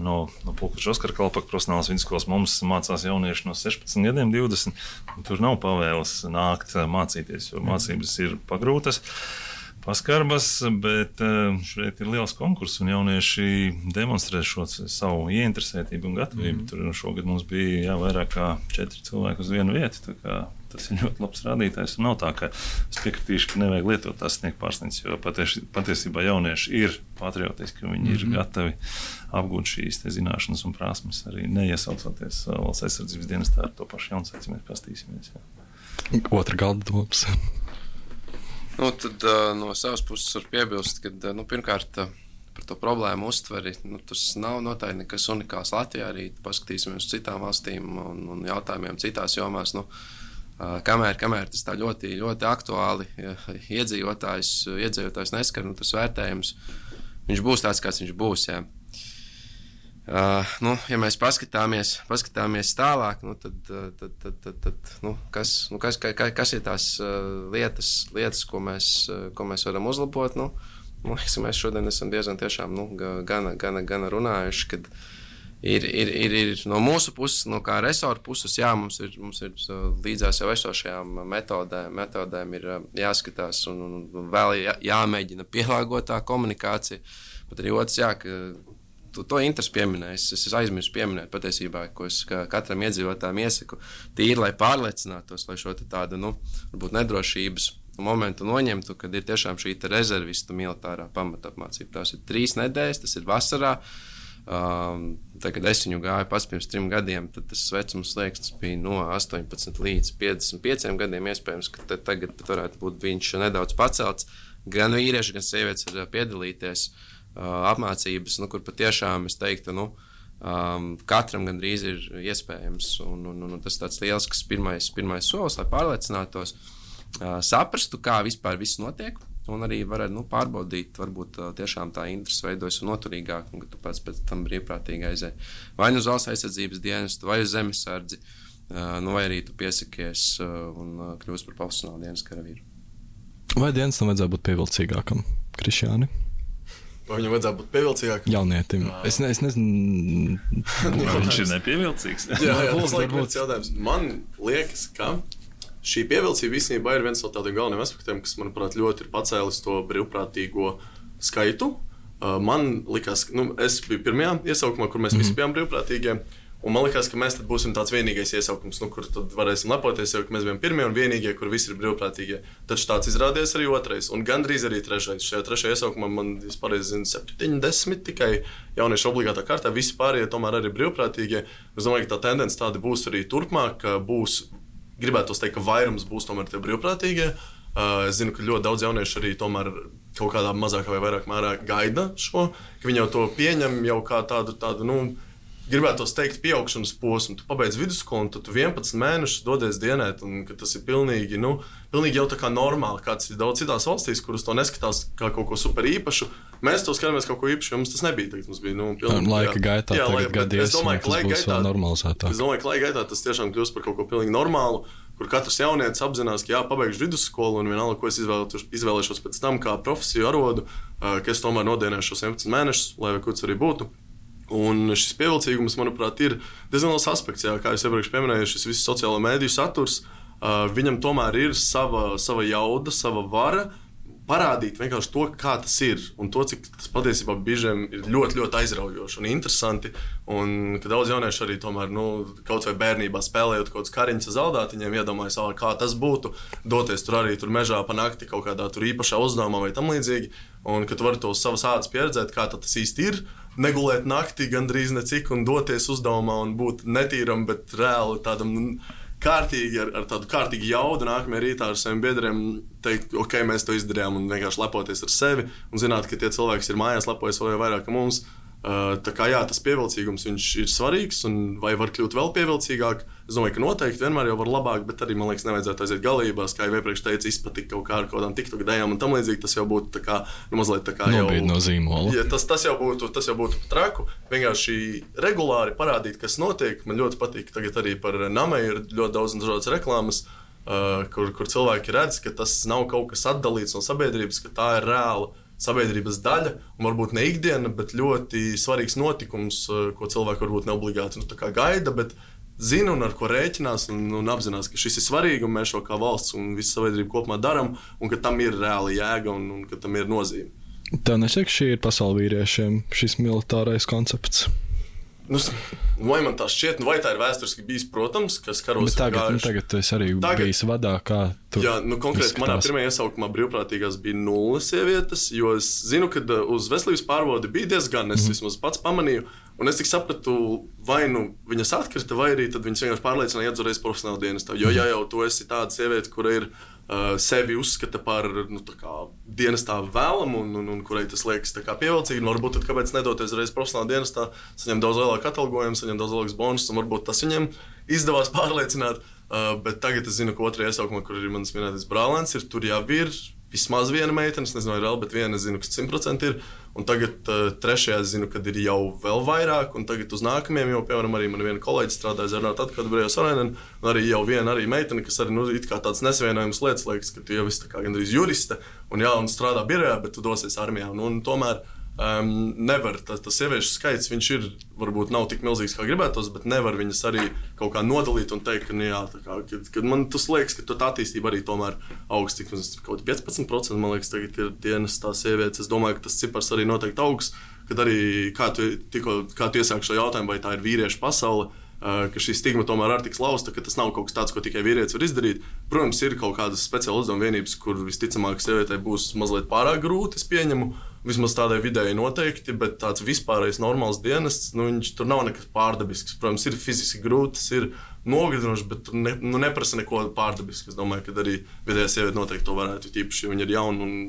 no, no Pulkvedža Oskara Kalpaka profesionālās vidusskolas. Mums mācās jaunieši no sešpadsmit gadiem, divdesmit. Tur nav pavēles nākt mācīties, jo mācības ir pagrūtas, paskarbas, bet šeit ir liels konkurss un jaunieši demonstrē šo savu ieinteresētību un gatavību. Mm. Tur šogad mums bija jā, vairāk kā četri cilvēki uz vienu vietu, tā kā tas ir ļoti labs rādītājs. Un nav tā, ka es piekritīšu, ka nevajag lietot tās sniegt pārsniņas, jo patiesi, patiesībā jaunieši ir patriotiski, viņi mm-hmm. ir gatavi apgūt šīs te zināšanas un prasmes, arī neiesaucoties valsts aizsardzības dienestā ar to pašu jaunsaici, mēs pastīsimies. Jā. Otra galda domas. Nu, tad no savas puses var piebilst, ka, nu, pirmkārt, par to problēmu uztveri, nu, tas nav noteikti nekas unikāls Latvijā, arī paskatīsimies uz citām valstīm un, un jautājumiem citās jomās, nu, kamēr, kamēr tas tā ļoti, ļoti aktuāli ja, iedzīvotājs, iedzīvotājs neskar, nu, tas vērtējums, viņš būs tāds, kāds viņš būs, jā. Uh, nu, ja mēs paskatāmies, paskatāmies tālāk, nu, tad, tad, tad, tad, tad nu, kas, nu, kas, ka, kas ir tās uh, lietas, lietas ko, mēs, uh, ko mēs varam uzlabot, nu, nu, mēs šodien esam diezgan tiešām, nu, gana, gana, gana runājuši, kad Ir, ir, ir, ir no mūsu puses, no kā resorta puses, jā, mums ir, mums ir līdzās jau esošajām metodēm, metodēm ir jāskatās un, un vēl jā, jāmēģina pielāgot tā komunikācija. Bet arī otrs, jā, ka to, to interesi pieminēs, es aizmirsu pieminēt patiesībā, ko es katram iedzīvotājam iesaku, tīri, lai pārliecinātos, lai šo tādu, nu, varbūt nedrošības momentu noņemtu, kad ir tiešām šī rezervistu militārā pamatapmācība. Tās ir trīs nedēļas, tas ir vasarā. Um, tā, kad es viņu gāju pats pirms trim gadiem, tad tas vecums slieksnis bija no astoņpadsmit līdz piecdesmit pieciem gadiem. Iespējams, ka tagad varētu būt viņš nedaudz pacelts. Gan vīrieši, gan sievietes var piedalīties uh, apmācības, nu, kur patiešām es teiktu, nu, um, katram gandrīz ir iespējams. Un, un, un tas tāds liels, kas pirmais, pirmais solis, lai pārliecinātos, uh, saprastu, kā vispār viss notiek. Un arī varētu, nu, pārbaudīt, varbūt tiešām tā interese veidojas un noturīgāk, un ka tu pats pēc tam brīvprātīgi aizēji. Vai nu uz valsts aizsardzības dienestu, vai uz zemesardzi, nu, vai arī tu piesakies un kļūsi par profesionālu dienas karavīru. Vai dienestam vajadzētu būt pievilcīgākam, Krišjāni? Vai viņam vajadzētu būt pievilcīgākam? Jaunietim. Es, ne, es nezinu... Viņš ir nepievilcīgs. jā, jā, tas laik viens jautājums. Man liekas, ka šī pievilcība īstenībā ir viens no tādiem galveniem aspektiem, kas, manuprāt, ļoti ir pacēlis to brīvprātīgo skaitu. Uh, man likās, nu, es biju pirmajā iesaukumā, kur mēs mm-hmm. visi bijām brīvprātīgie, un man likās, ka mēs tad būsim tāds vienīgais iesaukums, nu, kur tad varēsim lepoties, jo mēs bijām pirmie un vienīgie, kur visi ir brīvprātīgie. Taču tāds izrādījās arī otrais, un gandrīz arī trešais. Šajā trešajā iesaukumā man, es pareizi zinu, septiņdesmit tikai jaunieši obligātā kārtā, visi pārējie tomēr arī brīvprātīgie. Es domāju, ka tā tendence tāda būs arī turpmāk, ka būs gribētu teikt, ka vairums būs tomēr tie brīvprātīgie. Uh, es zinu, ka ļoti daudz jauniešu arī tomēr kaut kādā mazākā vai vairāk mērā gaida šo, ka viņi jau to pieņem jau kā tādu, tādu nu, gribētu teikt, pieaugšanas posmu. Tu pabeidz vidusskolu, un tad tu vienpadsmit mēnešus dodies dienēt, un ka tas ir pilnīgi, nu, pilnīgi jau tā kā normāli, kāds ir daudz citās valstīs, kuras to neskatās kā kaut ko super īpašu. Mēs to skatāmies kaut ko īpašu, jo mums tas nebija. Tagad mums bija, nu, pilnīgi, laika jā, gaitā, jā, tagad gadies, es domāju, ka laika gaitā, normalizētāk. Es domāju, ka laika gaitā tas tiešām kļūst par kaut ko pilnīgi normālu, kur katrs jaunietis apzinās, ka jā, pabeigšu vidusskolu, un vienalga, ko es izvēlēšos pēc tam kā profesiju arodu, ka es tomēr nodienēšu šos vienpadsmit mēnešus, lai vai kurds arī būtu. Un šis pievilcīgums, manuprāt, ir diezgan liels aspekts, jā, kā es iepriekš pieminēju, šis viss sociālo mēdīju saturs, uh, viņam tomēr ir sava, sava jauda, sava vara parādīt vienkārši to, kā tas ir, un to, cik tas patiesībā biežiem ir ļoti, ļoti aizraujoši un interesanti, un ka daudz jaunieši arī tomēr, nu, kaut vai bērnībā spēlējot kaut kāds kariņas zaldātiņiem, iedomājas, kā tas būtu, doties tur arī tur mežā pa nakti kaut kādā tur īpašā uzdevumā vai tam līdzīgi, un ka tu vari to uz savas ādas pieredzēt, kā tas īsti ir, negulēt naktī gandrīz necik un doties uzdevumā un būt netīram, bet reāli tādam kārtīgi, ar, ar tādu kārtīgu jaudu nākamajā rītā ar saviem biedriem teikt, ok, mēs to izdarījām un vienkārši lepoties ar sevi un zināt, ka tie cilvēki ir mājās, lepojas vēl vairāk ka mums. Tā kā jā, tas pievilcīgums viņš ir svarīgs un vai var kļūt vēl pievilcīgāk. Es domāju, ka noteikti vienmēr jau var labāk, bet arī, man liekas, nevajadzētu aiziet galībās, kā jau iepriekš teicu, izpatikt kaut kā ar kaut kādām TikTok dejām un tam līdzīgi. Tas jau būtu tā kā, nu, mazliet tā kā jau... Nobīd no zīmola. Ja, tas, tas jau būtu, tas jau būtu traku. Vienkārši regulāri parādīt, kas notiek. Man ļoti patīk, tagad arī par Namei ir ļoti daudz un dažādas reklāmas, uh, kur, kur cilvēki redz, ka tas nav kaut kas atdalīts no sabiedrības, ka tā ir reāla sabiedrības daļa, un varbūt ne ikdiena, bet ļoti svarīgs notikums, ko cilvēki varbūt neobligāti nu, tā kā gaida, bet zina un ar ko rēķinās un, un apzinās, ka šis ir svarīgi un mēs šo kā valsts un visa sabiedrība kopumā daram un ka tam ir reāla jēga un, un ka tam ir nozīme. Tā nešķiet, ka šī ir pasaule vīriešiem, šis militārais koncepts? Nu, vai man tā šķiet, nu vai tā ir vēsturiski bijis, protams, kas karos bet tagad, nu, tagad tu esi arī tagad, bijis vadā, kā tur jā, nu konkrēti manā pirmajā iesaukumā brīvprātīgās bija nulles sievietes, jo es zinu, ka uz veselības pārbaudi bija diezgan, es mm-hmm. vismaz pats pamanīju, un es tik sapratu, vai nu viņas atkrita, vai arī tad viņas vienkārši pārliecināja iedzoreiz profesionāli dienestā, jo ja jau tu esi tāda sieviete, kura ir uh, sevi uzskata par nu, tā kā dienestā vēlamu un, un, un kurai tas liekas tā kā pievilcīgi, un varbūt tad kāpēc nedoties reiz profesionāli dienestā, saņem daudz lielāku atalgojumu, saņem daudz lielāks bonus, un varbūt tas viņiem izdevās pārliecināt, uh, bet tagad es zinu, ka otrajā iesaukumā, kur ir manas minētais brālēns, ir tur jau ir vismaz viena meitene, es nezinu, vai vēl, bet viena es zinu, ka simt procenti ir, un tagad uh, trešajā es zinu, kad ir jau vēl vairāk, un tagad uz nākamajiem jau, piemēram, arī man viena kolēģi strādāja Zernāta atkal Brējos Arainen, un arī jau viena arī meitene, kas arī, nu, it kā tāds nesavienojums lietas liekas, ka tu jau esi tā kā gandrīz juriste, un jā, un strādā birojā, bet tu dosies armijā, un, un tomēr Um, nevar, tas, tas sieviešu skaits, viņš ir, varbūt nav tik milzīgs, kā gribētos, bet nevar viņas arī kaut kā nodalīt un teikt, ka, nu jā, tā kā, kad, kad man tas liekas, ka tā attīstība arī tomēr augsts, tik kaut piecpadsmit procenti, man liekas, tagad ir dienas tā sievietes. Es domāju, ka tas cipars arī noteikti augsts, kad arī, kā tu, tikko, kā tu iesāki šo jautājumu, vai tā ir vīriešu pasaule, uh, ka šī stigma tomēr ir tik lausta, ka tas nav kaut kas tāds, ko tikai vīrietis var izdarīt. Protams, ir kaut kādas speciāla uzdevuma vienības, kur visticamāk sievietei būs mazliet pārāk grūti, es pieņemu, vismaz tādai vidēji noteikti, bet tāds vispārējais normāls dienests, nu, viņš tur nav nekas pārdabisks. Protams, ir fiziski grūti, tas ir nogadinoši, bet tur ne, nu, neprasa neko pārdabisku. Es domāju, ka arī vidējā sieviete noteikti to varētu, tīpaši, ja viņa ir jauna un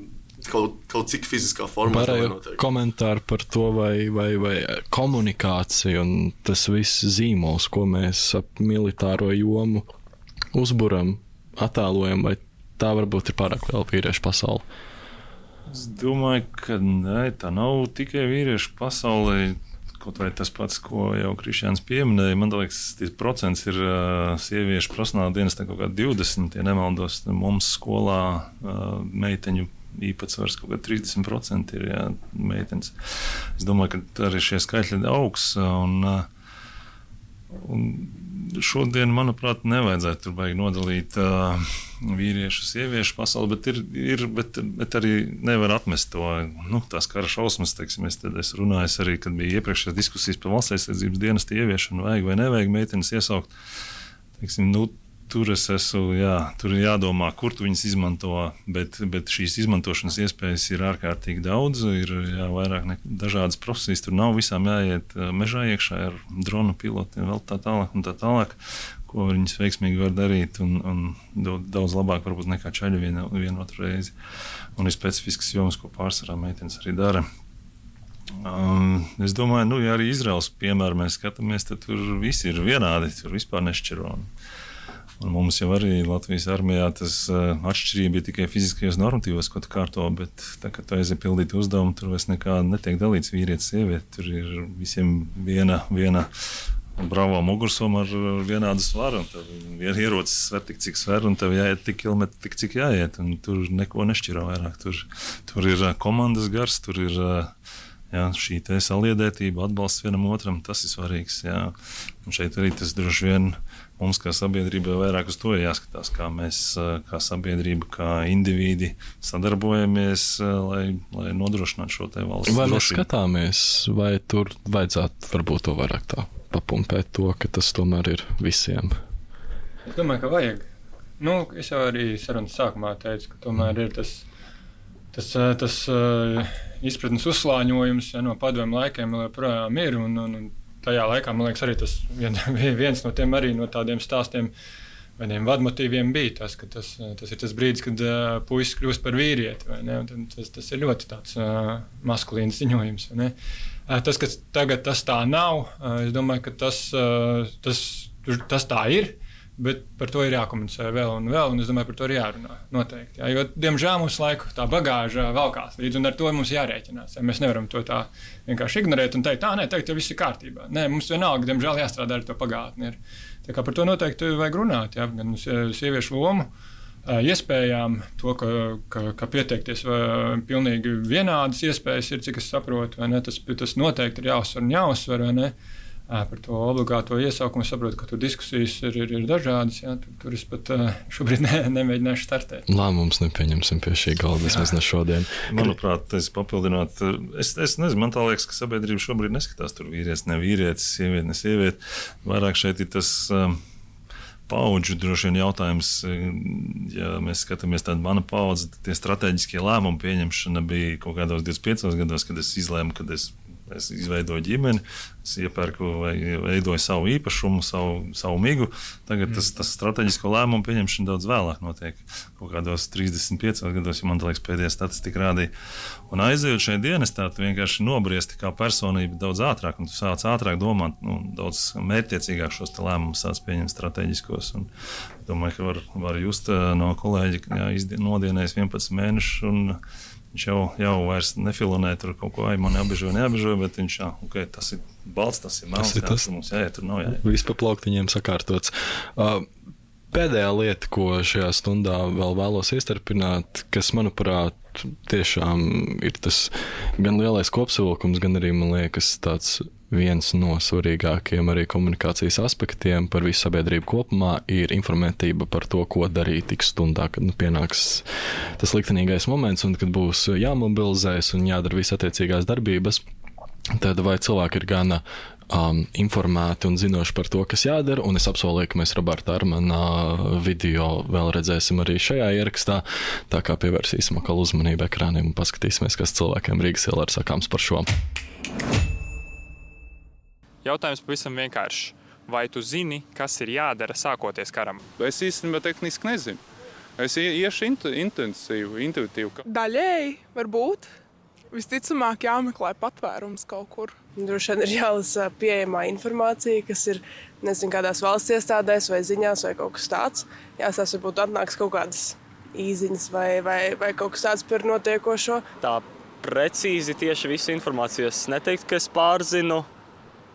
kaut, kaut cik fiziskā formā. Pārējo komentāru par to, vai, vai, vai komunikācija un tas viss zīmols, ko mēs ap militāro jomu uzburam, attēlojam, vai tā varbūt ir pārāk vēl vīriešu pasauli? Es domāju, ka nē, tā nav tikai vīriešu pasaulē. Kaut vai tas pats, ko jau Krišjāns pieminēja, man liekas, tas procents ir uh, sieviešu profesionāla dienestā kaut kā divdesmit, ja nemaldos. Mums skolā uh, meiteņu īpatsvars kaut kā trīsdesmit procenti ir jā, meitenes. Es domāju, ka arī šie skaitļi augs. Un, uh, un šodien, manuprāt, nevajadzētu tur baigi nodalīt uh, vīriešu, sieviešu pasauli, bet, ir, ir, bet, bet arī nevar atmest to, nu, tās kara šausmas, teiksim, es, es runāju arī, kad bija iepriekšējās diskusijas par valsts aizsardzības dienestu ieviešanu, vajag vai nevajag meitenes iesaukt, teiksim, nu, tur es esmu, jā, tur ir jādomā, kur tu viņas izmanto, bet, bet šīs izmantošanas iespējas ir ārkārtīgi daudz, ir jā, vairāk ne, dažādas profesijas, tur nav visām jāiet mežā iekšā ar dronu pilotiem, vēl tā tālāk un tā tālāk, ko viņas veiksmīgi var darīt un, un daudz labāk varbūt nekā čaļi vienu, vienu otru reizi. Un ir specifiskas jomas, ko pārsvarā meitenes arī dara. Um, es domāju, nu, ja arī Izraels piemēru mēs skatāmies, tad tur visi ir vienādi, tur vispār nešķiro. Un mums jau arī Latvijas armijā tas uh, atšķirība ir tikai fiziskajos normatīvos, ko tu kārto, bet tā, kad tu aiziet pildīt uzdevumu, tur vairs nekā netiek dalīts vīrietis, sieviete. Tur ir visiem viena, viena bravo mugursoma ar vienādu svaru, un tev viena ierocis sver tik, cik sver, un tev jāiet tik kilometri, tik, cik jāiet, un tur neko nešķiro vairāk. Tur, tur ir uh, komandas gars, tur ir uh, jā, šī te saliedētība, atbalsts vienam otram, tas ir svarīgs. Jā. Un šeit arī tas droši vien mums kā sabiedrībai vairāk uz to jāskatās, kā mēs kā sabiedrība, kā indivīdi sadarbojamies, lai, lai nodrošinātu šo te valsts vai drošību. Vai mēs skatāmies, vai tur vajadzētu varbūt to vairāk tā papumpēt to, ka tas tomēr ir visiem? Es domāju, ka vajag. Nu, es jau arī sarunas sākumā teicu, ka tomēr ir tas, tas, tas uh, izpratnes uzslāņojums ja, no padomju laikiem joprojām ir, un, un, un tajā laikā, man liekas, arī tas vien, viens no tiem arī no tādiem stāstiem vieniem vadmotīviem bija tas, ka tas, tas ir tas brīdis, kad uh, puisis kļūst par vīrieti. Tas, tas ir ļoti tāds uh, maskulīns ziņojums. Uh, tas, ka tagad tas tā nav, uh, es domāju, ka tas, uh, tas, tas tā ir. Bet par to ir jākomunicē vēl un vēl, un es domāju, par to ir jārunā noteikti. Jā, jo, diemžēl, mums laiku tā bagāža valkās līdz, un ar to mums jārēķinās. Jā, mēs nevaram to tā vienkārši ignorēt un teikt, tā, nē, teikt, jau viss ir kārtībā. Nē, mums vienalga, diemžēl, jāstrādā ar to pagātni. Ir. Tā kā par to noteikti vajag runāt, jā, gan sieviešu lomu, iespējām, to, ka, ka, ka pieteikties pilnīgi vienādas iespējas ir, cik es saprotu, vai ne, tas, tas noteikti ir jāuzsver un jāuzsver, vai ne. Par to obligāto iesaukumu es saprotu, ka tur diskusijas ir, ir, ir dažādas. Jā, tur, tur es pat šobrīd ne, nemēģināšu startēt. Lēmums nepieņemsim pie šī galda, vismaz ne šodien. Manuprāt, es papildināt, es, es nezinu, man tā liekas, ka sabiedrība šobrīd neskatās tur vīrietis, ne vīrietis, sieviete, ne sieviete. Vairāk šeit ir tas um, paudžu droši vien jautājums. Ja mēs skatāmies tādu manu paudzi, tie strateģiskie lēmumu pieņemšana bija kaut kādos divdesmit piecos gados, kad es izlēmu, kad es Es izveidoju ģimeni, es iepērku vai veidoju savu īpašumu, savu, savu migu. Tagad tas, tas strateģisko lēmumu pieņemšana daudz vēlāk notiek. Kaut kādos trīsdesmit piecos gados, ja man liekas, pēdējā statistika rādīja. Un aizejot šajā dienestā, tu vienkārši nobriesti kā personība daudz ātrāk, un tu sāc ātrāk domāt, nu, daudz mērķtiecīgāk šos lēmumus sāc pieņemt strateģiskos. Un domāju, ka var, var just no kolēģi, jā, nodienējis vienpadsmit mēnešus, un viņš jau, jau vairs nefilonē tur kaut ko, ai, man jābežoja, nejābežoja, bet viņš, jā, ok, tas ir balts, tas ir melns, jā, tur mums jāiet, tur nav jāiet. Viss pa plauktiņiem sakārtots. Uh, pēdējā lieta, ko šajā stundā vēl vēlos iestarpināt, kas, manuprāt, tiešām ir tas gan lielais kopsavilkums, gan arī, man liekas, tāds viens no svarīgākajiem arī komunikācijas aspektiem par visu sabiedrību kopumā ir informētība par to, ko darīt tik stundā, kad nu, pienāks tas liktenīgais moments un kad būs jāmobilizēs un jādara visas attiecīgās darbības. Tad vai cilvēki ir gana um, informēti un zinoši par to, kas jādara, un es apsolīju, ka mēs Roberta Armana video vēl redzēsim arī šajā ierakstā, tā kā pievērsīsim atkal uzmanību ekrāniem un paskatīsimies, kas cilvēkiem Rīgas ielā ir sakāms par šo. Jautājums pavisam vienkāršs. Vai tu zini, kas ir jādara sākoties karam? Es īstenībā tehniski nezinu. Es iešu intu, intensīvu, intuitīvu. Daļēji, varbūt. Visticamāk jāmeklē patvērums kaut kur. Droši vien ir jālasa pieejamā informācija, kas ir, nezinu, kādās valsts iestādēs vai ziņās vai kaut kas tāds. Jāsās, varbūt atnāks kaut kādas īziņas vai, vai, vai kaut kas tāds par notiekošo. Tā precīzi tieši visu informāciju es neteiktu, ka es pārzinu.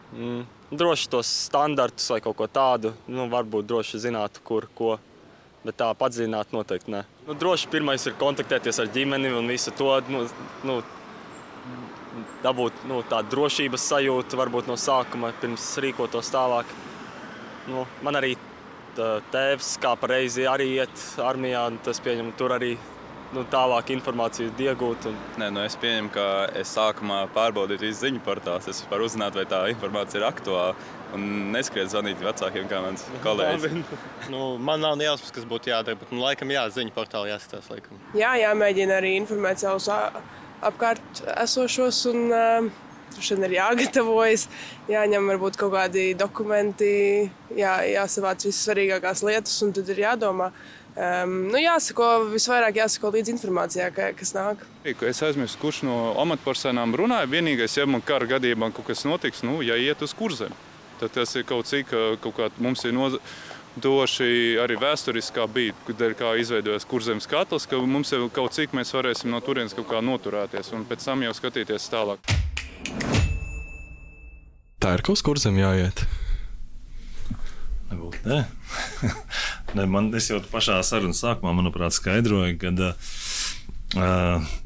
Mm, droši tos standartus vai kaut ko tādu, nu, varbūt droši zinātu, kur, ko, bet tā padziļināt noteikti ne. Nu, droši pirmais ir kontaktēties ar ģimeni un visu to, nu, nu, dabūt nu, tādu drošības sajūtu, varbūt no sākuma, pirms rīkotos tālāk. Nu, man arī tā, tēvs kā pareizi arī iet armijā, un tas pieņem tur arī. Nu, tālāk informāciju iegūt. Un... Nē, nu es pieņemu, ka es sākumā pārbaudītu visu ziņu portālus. Es varu uzzināt, vai tā informācija ir aktuāla. Un neskriet zvanīt vecākiem, kā mans kolēģis. nu, man nav nejausmas, kas būtu jādara, bet nu, laikam jā, ziņu portāli jāskatās. Laikam. Jā, jāmēģina arī informēt savus apkārt esošos un uh, ir jāgatavojas. Jāņem varbūt kaut kādi dokumenti, jā, jāsavāc visas svarīgākās lietas un tad ir jādomā. Um, nu jāsako, visvairāk jāsako līdz informācijā, ka, kas nāk. Es aizmirstu, kurš no amatpersonām runāja. Vienīgais, ja man kara gadījumā kaut kas notiks, nu, ja iet uz kurzem, tad tas ir kaut cik, kaut kā mums ir noz... doši arī vēsturiskā bija, kad ir kā izveidojas kurzemes katls, ka mums ir kaut cik mēs varēsim no turienes kaut kā noturēties un pēc tam jau skatīties tālāk. Tā ir kaut uz kurzem jāiet? Nebūt, nē. ne, man, es jau pašā sarunas sākumā, manuprāt, skaidroju, kad uh,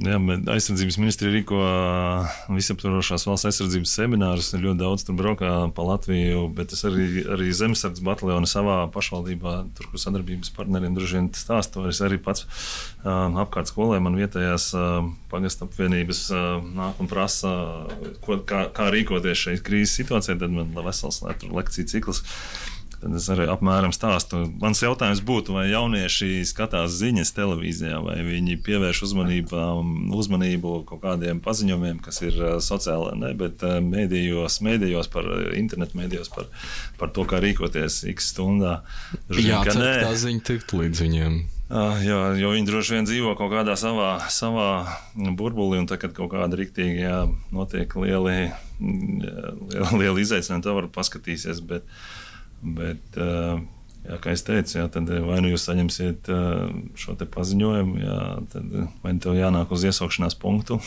jā, aizsardzības ministri rīko uh, visaptvarošās valsts aizsardzības seminārus, ir ļoti daudz tur braukā pa Latviju, bet es arī, arī zemesardzes bataljoni savā pašvaldībā, tur, kur sadarbības partneriem droši vien stāstu, es arī pats uh, apkārt skolē man vietējās uh, pagasta apvienības uh, nāk un prasa, ko, kā, kā rīkoties šeit krīzes situācijā, tad man vesels lekciju cikls. Tad es arī apmēram stāstu. Mans jautājums būtu, vai jaunieši skatās ziņas televīzijā, vai viņi pievērš uzmanību kaut kādiem paziņojumiem, kas ir sociālā, ne, bet mēdījos, mēdījos par internetu mēdījos par, par to, kā rīkoties x stundā. Jā, cer, tā ziņa tikt līdz viņiem. Jā, jo viņi droši vien dzīvo kaut kādā savā, savā burbulī, un tad, kad kaut kāda riktīgi, jā, notiek lieli, lieli, lieli izaicinājumi, tā var paskatīsies, bet Bet, jā, kā es teicu, jā, tad vai nu jūs saņemsiet šo te paziņojumu, jā, tad vai tev jānāk uz iesaukšanās punktu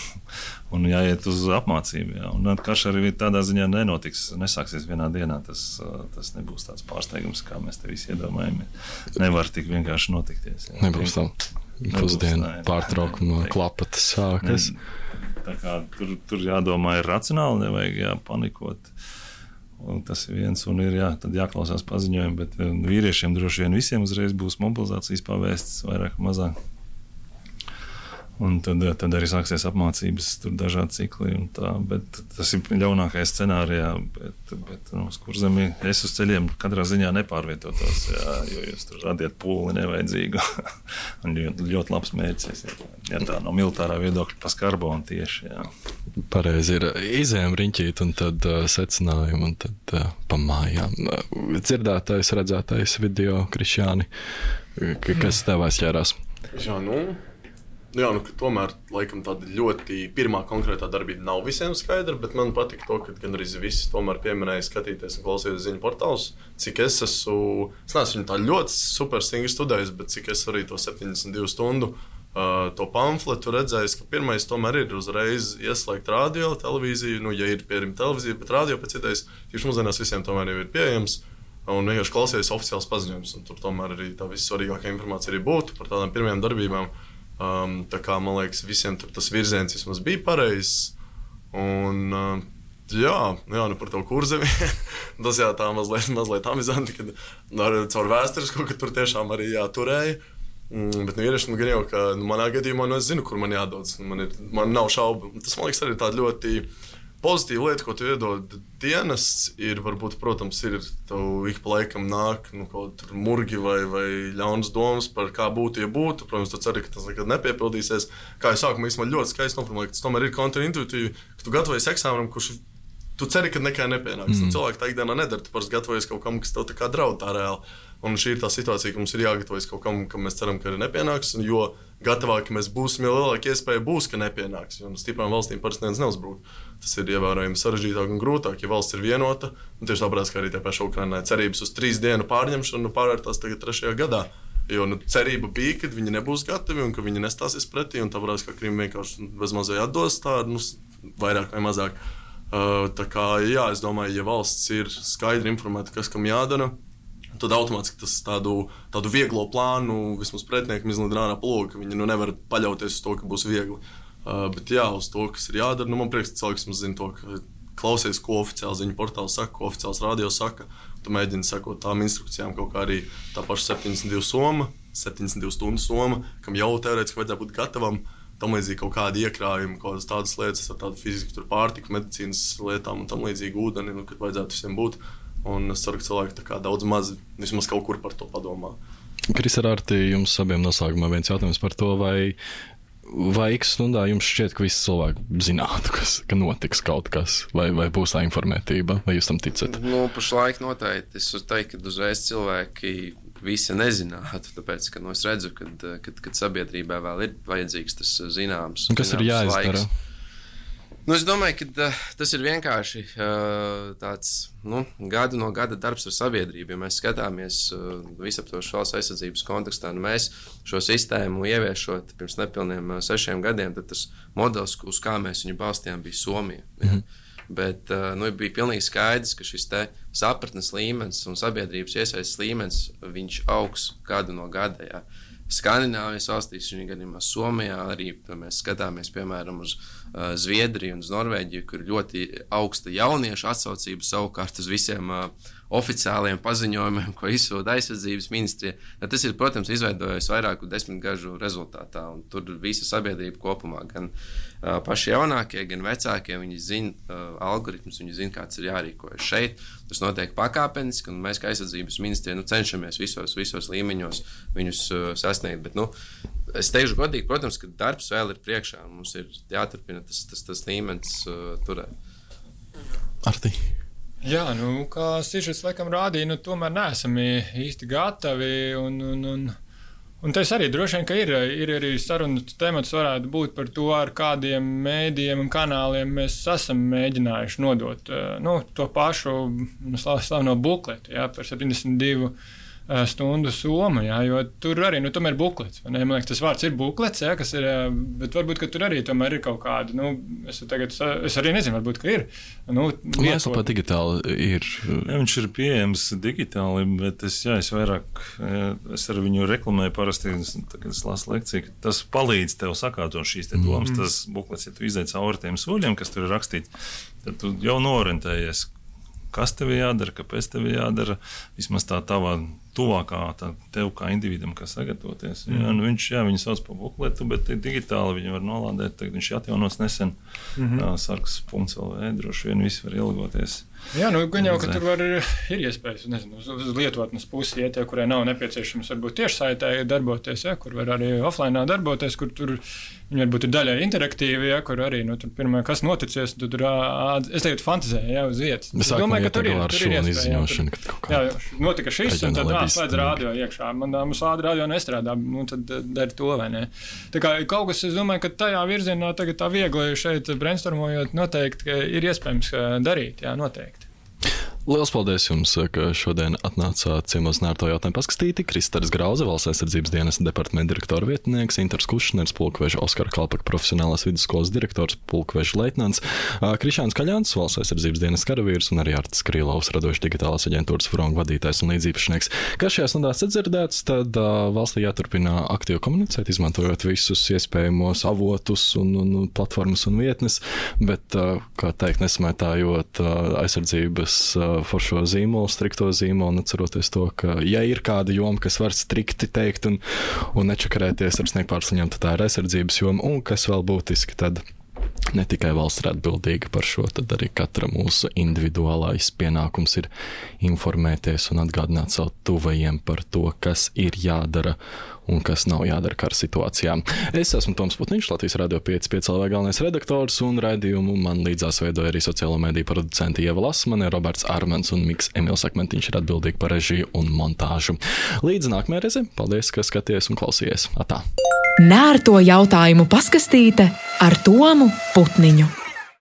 un jāiet uz apmācību. Jā. Un karš arī tādā ziņā nenotiks, nesāksies vienā dienā. Tas, tas nebūs tāds pārsteigums, kā mēs te visi iedomājamies. Nevar tik vienkārši notikties. Jā. Nebūs tā pusdienu pārtraukuma klapatas sākas. Ne, tā kā tur, tur jādomā ir racionāli, nevajag jāpanikot. Un tas ir viens, un ir jā, tad jāklausās paziņojumi, bet vīriešiem droši vien visiem uzreiz būs mobilizācijas pavēstas vairāk mazāk. Un tad, tad arī sāksies apmācības, tur dažādi cikli un tā, bet tas ir ļaunākais scenārijā, bet, bet nu, uz kurzemi es uz ceļiem katrā ziņā nepārvietotos, jā, jo jūs tur radiet pūli nevajadzīgu. Un ļoti, ļoti labs mērķis, ja tā no militārā viedokļa pa skarbonu tieši, jā. Pareizi ir izējām riņķīt un tad uh, secinājumi un tad uh, pa mājām. Dzirdētais, redzētais video, Krišjāni, kas tev aizķērās? Jā, nu... Jā, nu, tomēr laikam tāda ļoti pirmā konkrētā darbība nav visiem skaidra, bet man patika to, ka gan arī visi tomēr pieminēja skatīties un klausīties ziņu portālus. Cik es esmu, es neesmu viņu tā ļoti super stingri studējis, bet cik es arī to septiņdesmit divu stundu uh, to pamfletu redzējis, ka pirmais tomēr ir uzreiz ieslēgt radio, televīziju, nu, ja ir pieejama televīzija, bet radio pēc idejas, tieši mūsdienās visiem tomēr jau ir pieejams. Un vienkārši klausies oficiāls paziņojums, un tur tomēr arī tā vissvarīgākā informācija arī būtu par tādām pirmajām darbībām. Um, tā kā, man liekas, visiem tur tas virziens vismaz bija pareizs. Un, uh, jā, jā, nu par to kurzemi, tas jā, tā mazliet, mazliet amizanti, kad ar, caur vēsturisko, ka tur tiešām arī jāturēja. Mm, bet, nu, iereši, nu, gan jau, ka nu, manā gadījumā, nu, es zinu, kur man jādodas. Man, ir, man nav šaubu. Tas, man liekas, arī tāda ļoti pozitīva lieta, ko tu iedod dienests, ir, varbūt, protams, ir tev ik pa laikam nāk nu, kaut tur murgi vai, vai ļaunas domas par kā būtu, ja būtu. Protams, tu ceri, ka tas nekad nepiepildīsies. Kā jau sākumā īstenībā ļoti skaisti noformulēja, ka tas tomēr ir kontraintuitīvi, ka tu gatavojies eksāmenam, kurš tu ceri, ka nekā nepienāks. Mm. Cilvēki tā ikdienā nedara, tu parasti gatavojies kaut kam, kas tev tā kā draud tā reāli. Un šī ir tā situācija, ka mums ir jāgatavojas kaut kam, kam mēs ceram, ka arī nepienāks, jo gatavāki mēs būsim, jo lielāka iespēja būs, ka nepienāks. Jo stiprām valstīm parasti neviens neuzbrūk. Tas ir ievērojami sarežģītāk un grūtāk, ja valsts ir vienota. Un tieši tāpēc, ka arī tie paši Ukrainai cerības uz trīs dienu pārņemšanu pārvērtās tagad trešajā gadā. Jo nu, cerība bija, ka viņi nebūs gatavi un ka viņi nestāsies pretī. Un tāpēc, ka Krima vienkārši bezmazliet atdos tādu, nu, vairāk vai mazāk. Uh, tā kā, jā, es domāju, ja valsts ir skaidri informēta, kas kam jādara, tad automātiski tas tādu, tādu vieglo plānu vismaz pretiniekam izlīd ārā plūgu, ka viņi nu, nevar paļauties uz to, ka būs viegli. Uh, bet jā, uz to, kas ir jādara, nu man prieks, ka cilvēks mums zina to, ka klausies, ko oficiāli ziņu portāli saka, ko oficiāls radio saka, tu mēģini sekot tām instrukcijām, kaut kā arī tā paša septiņdesmit divu soma, septiņdesmit divu stundu soma, kam jau teorētiski vajadzētu būt gatavam, tam līdzīgi kaut kādi iekrājumi, kaut kādas tādas lietas ar tādu fiziku, tur pārtika, medicīnas lietām un tam līdzīgi ūdeni, nu, kad vajadzētu visiem būt. Un es ceru, ka cilvēki tā kā daudz maz, vismaz kaut kur par to padomā. Kris, ar Arti, jums abiem noslēgumā viens jautājums par to, vai, vai x stundā jums šķiet, ka visi cilvēki zinātu, kas, ka notiks kaut kas, vai, vai būs tā informētība, vai jūs tam ticat? Nu, pašlaik noteikti. Es teiktu, ka uzreiz cilvēki visi nezinātu, tāpēc, ka nu, es redzu, kad, kad, kad sabiedrībā vēl ir vajadzīgs tas zināms. Un kas zināms ir jāizdara? Laiks. Nu, es domāju, ka uh, tas ir vienkārši uh, tāds nu, gadu no gada darbs ar sabiedrību. Ja mēs skatāmies uh, visaptvarošas valsts aizsardzības kontekstā, nu mēs šo sistēmu ieviešot pirms nepilniem uh, sešiem gadiem, tad tas modelis, uz kā mēs viņu balstījām, bija Somija. Mm-hmm. Ja? Bet uh, nu, bija pilnīgi skaidrs, ka šis te sapratnes līmenis un sabiedrības iesaistes līmenis, viņš augs gadu no gada. Ja? Skandināvijas valstīs, viņa gadījumā Somijā, arī mēs skatāmies, piemēram, uz Zviedriju un uz Norvēģiju, kur ļoti augsta jauniešu atsaucība savukārt uz visiem uh, oficiāliem paziņojumiem, ko izsūta aizsardzības ministrija. Tas ir, protams, izveidojis vairāku desmitgažu rezultātā, un tur visa sabiedrība kopumā, gan uh, paši jaunākie, gan vecākie, viņi zina uh, algoritmus, viņi zina, kāds ir jārīkojas šeit. Tas notiek pakāpeniski, un mēs, kā aizsardzības ministrija, nu, cenšamies visos, visos līmeņos viņus uh, sasniegt. Bet, nu, es teikšu godīgi, protams, ka darbs vēl ir priekšā. Mums ir jāturpina tas, tas, tas līmenis uh, turēt. Arti. Jā, nu, kā sižets laikam rādīja, nu, tomēr neesam īsti gatavi, un, un, un, un tas arī droši vien, ka ir, ir arī sarunas temats varētu būt par to, ar kādiem mēdījiem un kanāliem mēs esam mēģinājuši nodot, nu, to pašu slaveno bukletu, jā, par septiņdesmit divu stundu somu, jā, jo tur arī, nu, tomēr buklets, vai ne? Man liekas, tas vārds ir buklets, jā, kas ir, bet varbūt, ka tur arī tomēr ir kaut kāda, nu, es tagad, es arī nezinu, varbūt, ka ir, nu, Mājaslapā digitāli ir. Jā, viņš ir pieejams digitāli, bet es, jā, es vairāk, es ar viņu reklamēju parasti, tagad es lasu lekciju, ka tas palīdz tev sakārtot šīs te domas, mm. tas buklets, ja tu izai cauri tiem soļiem, kas tur ir rakstīti, tad tu jau norentējies, kas tev jādara, kāpēc tev jādara, vismaz tā tavā tuvākā tā tev kā individam, kā sagatavoties. Mm. Jā, nu viņš, jā, viņu sauc par bukletu, bet digitāli viņu var nolādēt, tagad viņš ir atjaunots nesen, mm-hmm. sargs punkts el vē, droši vien visi var ielgoties. Jā, nu, gan jau, ka tur var, ir iespējas, nezinu, uz, uz lietotnes pusi iet, ja, kurai nav nepieciešams varbūt tiešsaitē darboties, ja, kur var arī offline darboties, kur tur viņi varbūt ir daļai interaktīvi, ja, kur arī, nu, tur pirmā, kas noticies, tu tur, es lietu fantazēju, ja, uz vietas. Es domāju, ka tur ir, tur ir iespēja. Jā, notika šis, un tad slēdz rādio iekšā. Man mums ādi rādio nestrādā, nu, tad dari to, vai ne? Tā kā kaut kas, es domāju, ka tajā virzienā tagad tā viegli šeit brainstormojot noteikti, ka ir iespējams darīt, jā, noteikti. Liels paldies jums, ka šodien atnācāt ciemos nērto jautājumu paskatīti. Kristers Grauze, Valsts aizsardzības dienesta departamenta direktora vietnieks, Intars Kušners, pulkveža Oskara Kalpaka profesionālās vidusskolas direktors, pulkveža leitnants, Krišāns Kaļāns, Valsts aizsardzības dienesta karavīrs un arī Artis Krīlovs, radošs digitālās aģentūras Fronga vadītājs un līdzīpašnieks. Kā šajās nedēļās sadzirdēts, tad uh, valstī jāturpina aktīvi komunicēt, izmantojot visus iespējamos avotus un, un platformas un vietnes, bet, uh, kā teikt, nesmētājot uh, aizsardzības uh, foršo zīmolu, strikto zīmolu, un atceroties to, ka, ja ir kāda joma, kas var strikti teikt un, un nečakarēties ar sniegpārsliņām, tad tā ir aizsardzības joma, un kas vēl būtiski, tad ne tikai valsts ir atbildīga par šo, tad arī katra mūsu individuālais pienākums ir informēties un atgādināt savu tuvajiem par to, kas ir jādara un kas nav jādara kara situācijām. Es esmu Toms Putniņš, Latvijas radio pieci pieci el vē galvenais redaktors, un raidījumu man līdzās veidoja arī sociālo mediju producenti Ieva Lasmane, Roberts Armens un Miks Emils Akmentiņš ir atbildīgi par režiju un montāžu. Līdz nākamajai reizi, paldies, ka skaties un klausies. Atā! Nērto jautājumu paskastīte ar Tomu Putniņu.